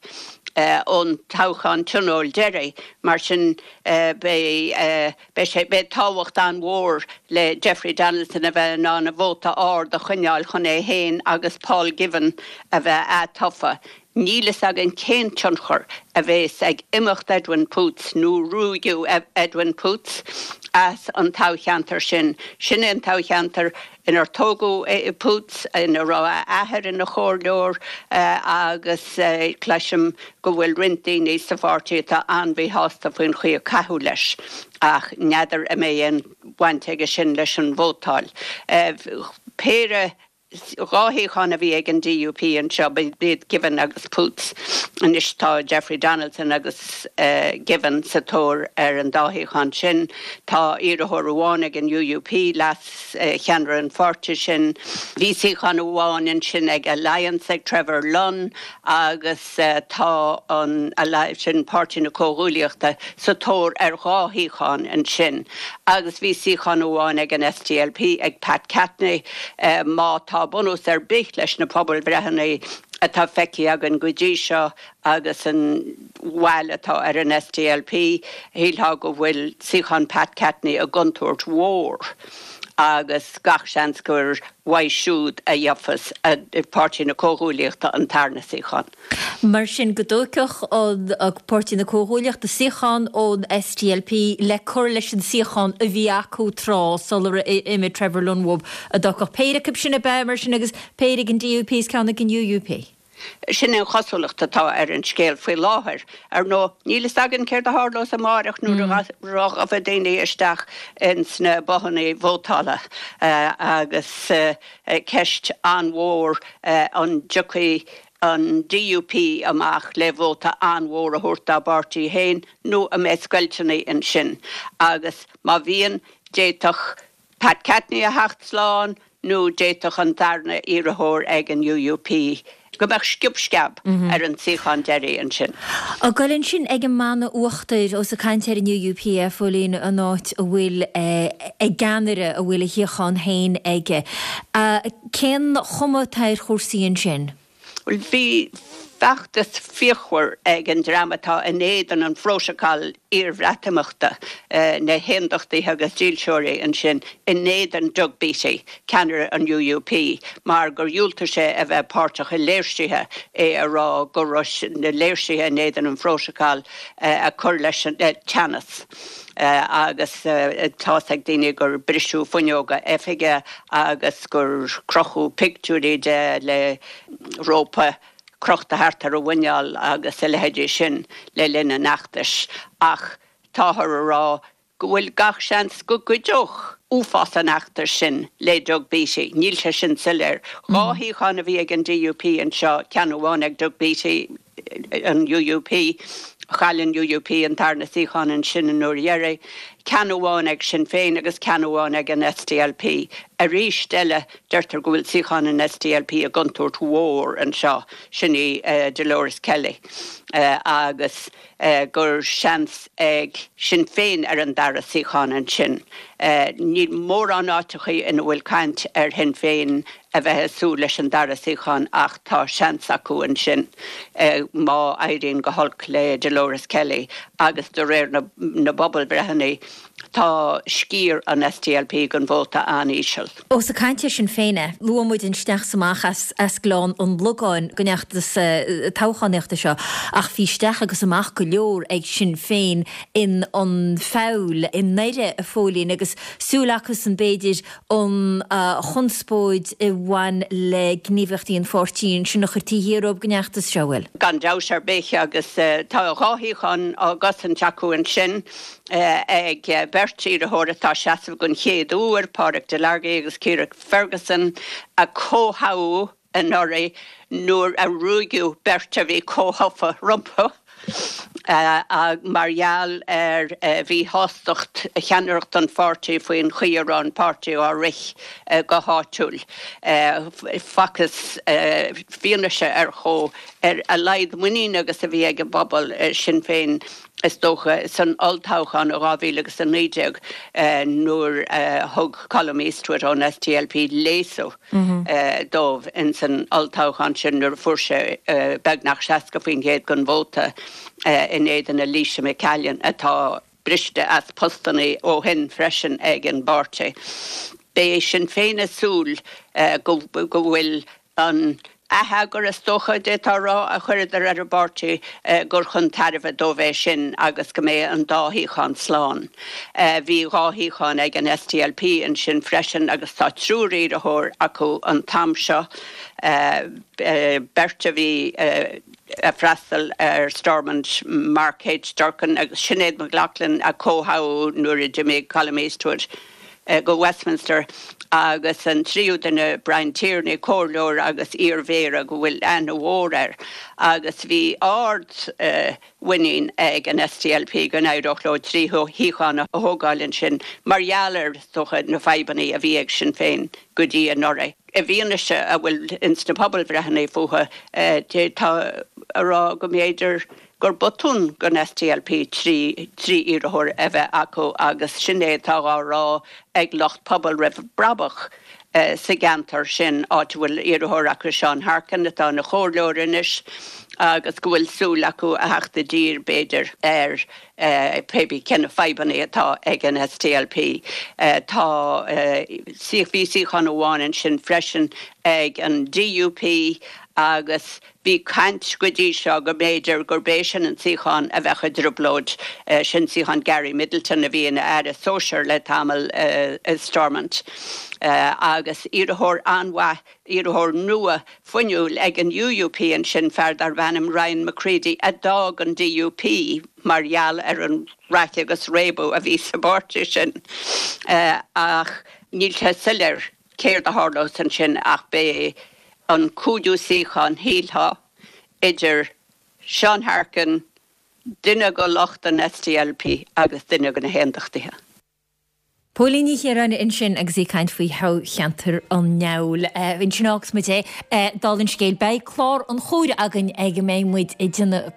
Ón toghchán tionóil deiridh, mar sin beidh beidh sé beidh tábhacht an-mhór le Jeffrey Donaldson a bheith in ann a vóta ard a choinneáil chun é féin agus Paul Givan a bheith atofa. Níl fhios againn cén tionchar a bhéas ag imeacht Edwin Poots nó ruaigeadh Edwin Poots as an toghcheantar sin. Sin é an toghcheantar inar tógadh Poots, ina raibh a athair ina chomhairleoir agus cloisim go bhfuil roinnt daoine sa pháirtí atá an-mhíshásta faoin chaoi a caitheadh leis ach n'fheadar an mbeidh aon bhaint aige sin leis an vótáil. Péire 2 shuíochán a bhí ag an DUP anseo, b'iad Givan agus Poots. Anois tá Jeffrey Donaldson agus Givan sa tóir ar an dá shuíochán sin. Tá iarrthóir amháin ag an UUP, leas-cheannaire an pháirtí sin. Bhí suíochán amháin ansin ag Alliance ag Trevor Lunn agus tá an sin Páirtí na Comhghuaillíochta sa tóir ar dhá shuíochán ansin agus bhí suíochán amháin ag an SDLP ag Pat Catney. Má tá bunús ar bith leis na pobalbhreitheanna atá feicthe againn go dtí seo agus an bhail atá ar an SDLP, shílfeá go bhfuil suíochán Pat Catney i gcontúirt mhór agus gach seans gur uaidh siúd a gheofas Páirtí na Comhghuaillíochta an tarna suíochán. Mar sin, go dtógfadh an Páirtí na Comhghuaillíochta suíochán ón SDLP le cur leis an suíochán a bhí acu tráth sular imigh Trevor Lunn uathu, a dtógfadh péire acu sin ab ea, mar sin, agus péire ag an DUP is ceann ag an UUP. Sin an chosúlacht atá ar an scéal faoi láthair. Ar ndóigh, níl fhios againn céard a tharlós amáireach nuair a ghabhfaidh daoine isteach ins na bothanna vótála agus ceist an-mhór an dtiocfaidh an DUP amach le vóta an-mhór a thabhairt dá bpáirtí féin nó an mbeidh scoilteanna ansin agus má bhíonn, d'fhéadfadh Pat Catney a theacht slán nó d'fhéadfadh an darna iarrthóir ag an UUP go mbeadh sciob sceab ar an suíochán deiridh ansin. Ag goil ansin ag an mBanna Uachtair, ós ag caint ar an UUP, a Phóilín, an áit a bhfuil a gceannaire, a bhfuil a shuíochán féin aige. Cén chuma atá ar chúrsaí ansin? Bhuel, bhí feachtas fíochmhar ag an dream atá in éadan an phrótacail iarBhreatimeachta, na hAondachtaithe agus Dílseoirí ansin, in éadan Doug Beattie, ceannaire an UUP, mar gur dhiúltaigh sé a bheith páirteach i léirsithe, é a rá go raibh na léirsithe in éadan an phrótacail ag cur leis an teannas. Agus tá's ag daoine gur briseadh fuinneoga oifige agus gur crochadh pictiúirí de le rópa crochta thart ar a mhuineál agus a leithéidí sin le linn an fheachtais. Ach táthar a rá go bhfuil gach seans go gcuideodh uafás an fheachtais sin le Doug Beattie. Níl sé sin soiléir. 2 shuíochán a bhí ag an DUP anseo, ceann amháin ag Doug Beattie, an UUP. Chaill an UUP an tarna suíochán ansin an uair dheiridh. Ceann amháin ag Sinn Féin agus ceann amháin ag an SDLP. Arís eile, deirtear go bhfuil suíochán an SDLP i gcontúirt mhór anseo, sin í Dolores Kelly, agus gur seans ag Sinn Féin ar an dara suíochán ansin. Níl mórán áiteachaí ina bhfuil caint ar Shinn Féin a bheith ag súil leis an dara suíochán ach tá seans acu ansin má éiríonn go holc le Dolores Kelly agus de réir na bpobalbhreitheanna tá sciar an SDLP den vóta an-íseal. Ós ag caint ar Sinn Féin é, luaigh muid an isteach is amach as Gleann an Logáin den fheachtas toghchánaíochta seo ach bhí isteach agus amach go leor ag Sinn Féin in An Feabhal i nDoire, a Phóilín, agus súil acusan b'fhéidir an chonspóid a bhain le gníomhaíochtaí an pháirtí ansin a chur taobh thiar dhóibh den fheachtas seo, bhfuil? Gan dabht ar bith, agus tá 2 shuíochán á gcosaint acu ansin ag beirt iarrthóir atá ag seasamh den chéad uair, Pádraic Delargy agus Ciara Ferguson, a comhthoghadh anuraidh nuair a ruaigeadh beirt a bhí comhthofa rompu mar gheall ar mhíshástacht cheannaireacht an pháirtí faoin chaoi a raibh an páirtí á rith go háitiúil. Facthas fianaise ar chomh ar a laghad muiníne agus a bhí ag an bpobal i Sinn Féin. Is dócha, san olltoghchán i 2019 nuair a thug Colum Eastwood ón SDLP léasadh dóibh ins an olltoghchán sin nuair a fuair sé beagnach 60% den vóta in éadan Elisha McCallion atá briste as postannaí ó shin freisin ag an bpáirtí. Beidh Sinn Féin ag súil go bhfuil An t-atheagar, is dócha, d'fhéadfá a rá, a chuireadar ar an bpáirtí gur chun tairbhe dóibh é sin agus go mbeidh an dá shuíochán slán. Bhí dhá shuíochán ag an SDLP ansin freisin agus tá triúr iarrthóir acu an t-am seo, beirt a bhí ag freastal ar Stormont, Mark H Durkan agus Sinéad McLaughlin a comhthoghadh nuair a d'imigh Colum Eastwood. go Westminster agus an tríú duine, Brian Tierney, comhairleoir agus iar-mhéara go bhfuil aithne mhór air agus bhí ard-mhuinín ag an SDLP go n-éireodh leo 3 shuíochán a thógáil ansin mar gheall ar, is dócha, na fadhbanna a bhí ag Sinn Féin go dtí anuraidh. I bhfianaise a bhfuil ins na pobalbhreitheanna fúthu, d'fhéadfá a rá go mb'fhéidir gur botún don SDLP 3 iarrthóir a bheith acu agus sin é atá dhá rá ag lucht Pobal Roimh Brabach sa gceantar sin, áit a bhfuil iarrthóir acu, Seán Harkin, atá ina chomhairleoir anois agus go bhfuil súil acu a theacht i dtír, b'fhéidir, ar pé cé na fadhbanna atá ag an SDLP. Tá, bhí suíochán amháin ansin freisin ag an DUP agus Bhí caint go dtí seo go mb'fhéidir gurb é sin an suíochán a bheadh i dtrioblóid, sin suíochán Gary Middleton a bhí ina aire sóisir le tamall i Stormont. Agus iarrthóir an-mhaith, iarrthóir nua fuinniúil ag an UUP ansin, fear darb ainm Ryan McCready a d'fhág an DUP mar gheall ar an raic agus réabadh a bhí sa bpáirtí sin. Ach níl sé soiléir. Céard a tharlós ansin ach beidh an cúigiú suíochán, shílfeá, idir Seán Harkin, duine de lucht an SDLP agus duine de na hAondachtaithe. Póilín Ní Chiaráin ansin agus í ag caint faoi thoghcheantar an Fheabhail. Ansin a fhágfas muid é. Dála an scéil, beidh clár an chomhaire againn ag a mbeidh muid ag déanamh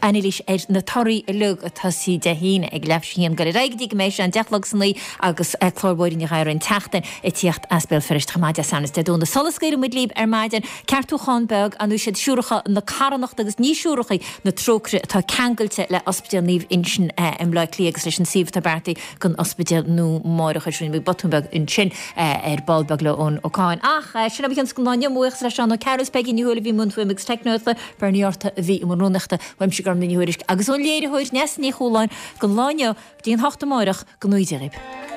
anailís ar na torthaí uilig ag tosaí Dé hAoine ag leathuair tar éis a haon, ag dul ar aghaidh go dtí go mbeidh sé an 10 a chlog san oíche agus clár Mháirín Ní Ghadhra an tseachtain ag tíocht as Béal Feirste chomh maith Dé Sathairn is Dé Domhnaigh. Sula scaoileann muid libh ar maidin, ceartúchán beag, ar ndóigh siad Siúracha na Carthanachta agus ní Siúracha na Trócaire atá ceangailte le Ospidéal Naomh Uinseann i mBleá Cliath agus leis an suíomh atá beartaithe don ospidéal nua máithreachais. Rinne muid botún beag ansin ar ball beag le Eoin Ó Cadhain. Ach sin é mo chionn don lá inniu. Mo bhuíochas le Seán Ó Cearúil, Peigí Ní Thuathail a bhí i mbun fuaime agus teicneolaíochta, Bernie Arthur a bhí i mbun rúnaíochta, uaimse Gormfhlaith Ní Thuairisg agus ón léiritheoir Neasa Ní Chualáin don lá inniu. Go dtí an 8 amáireach, go ngnóthaí Dia dhaoib.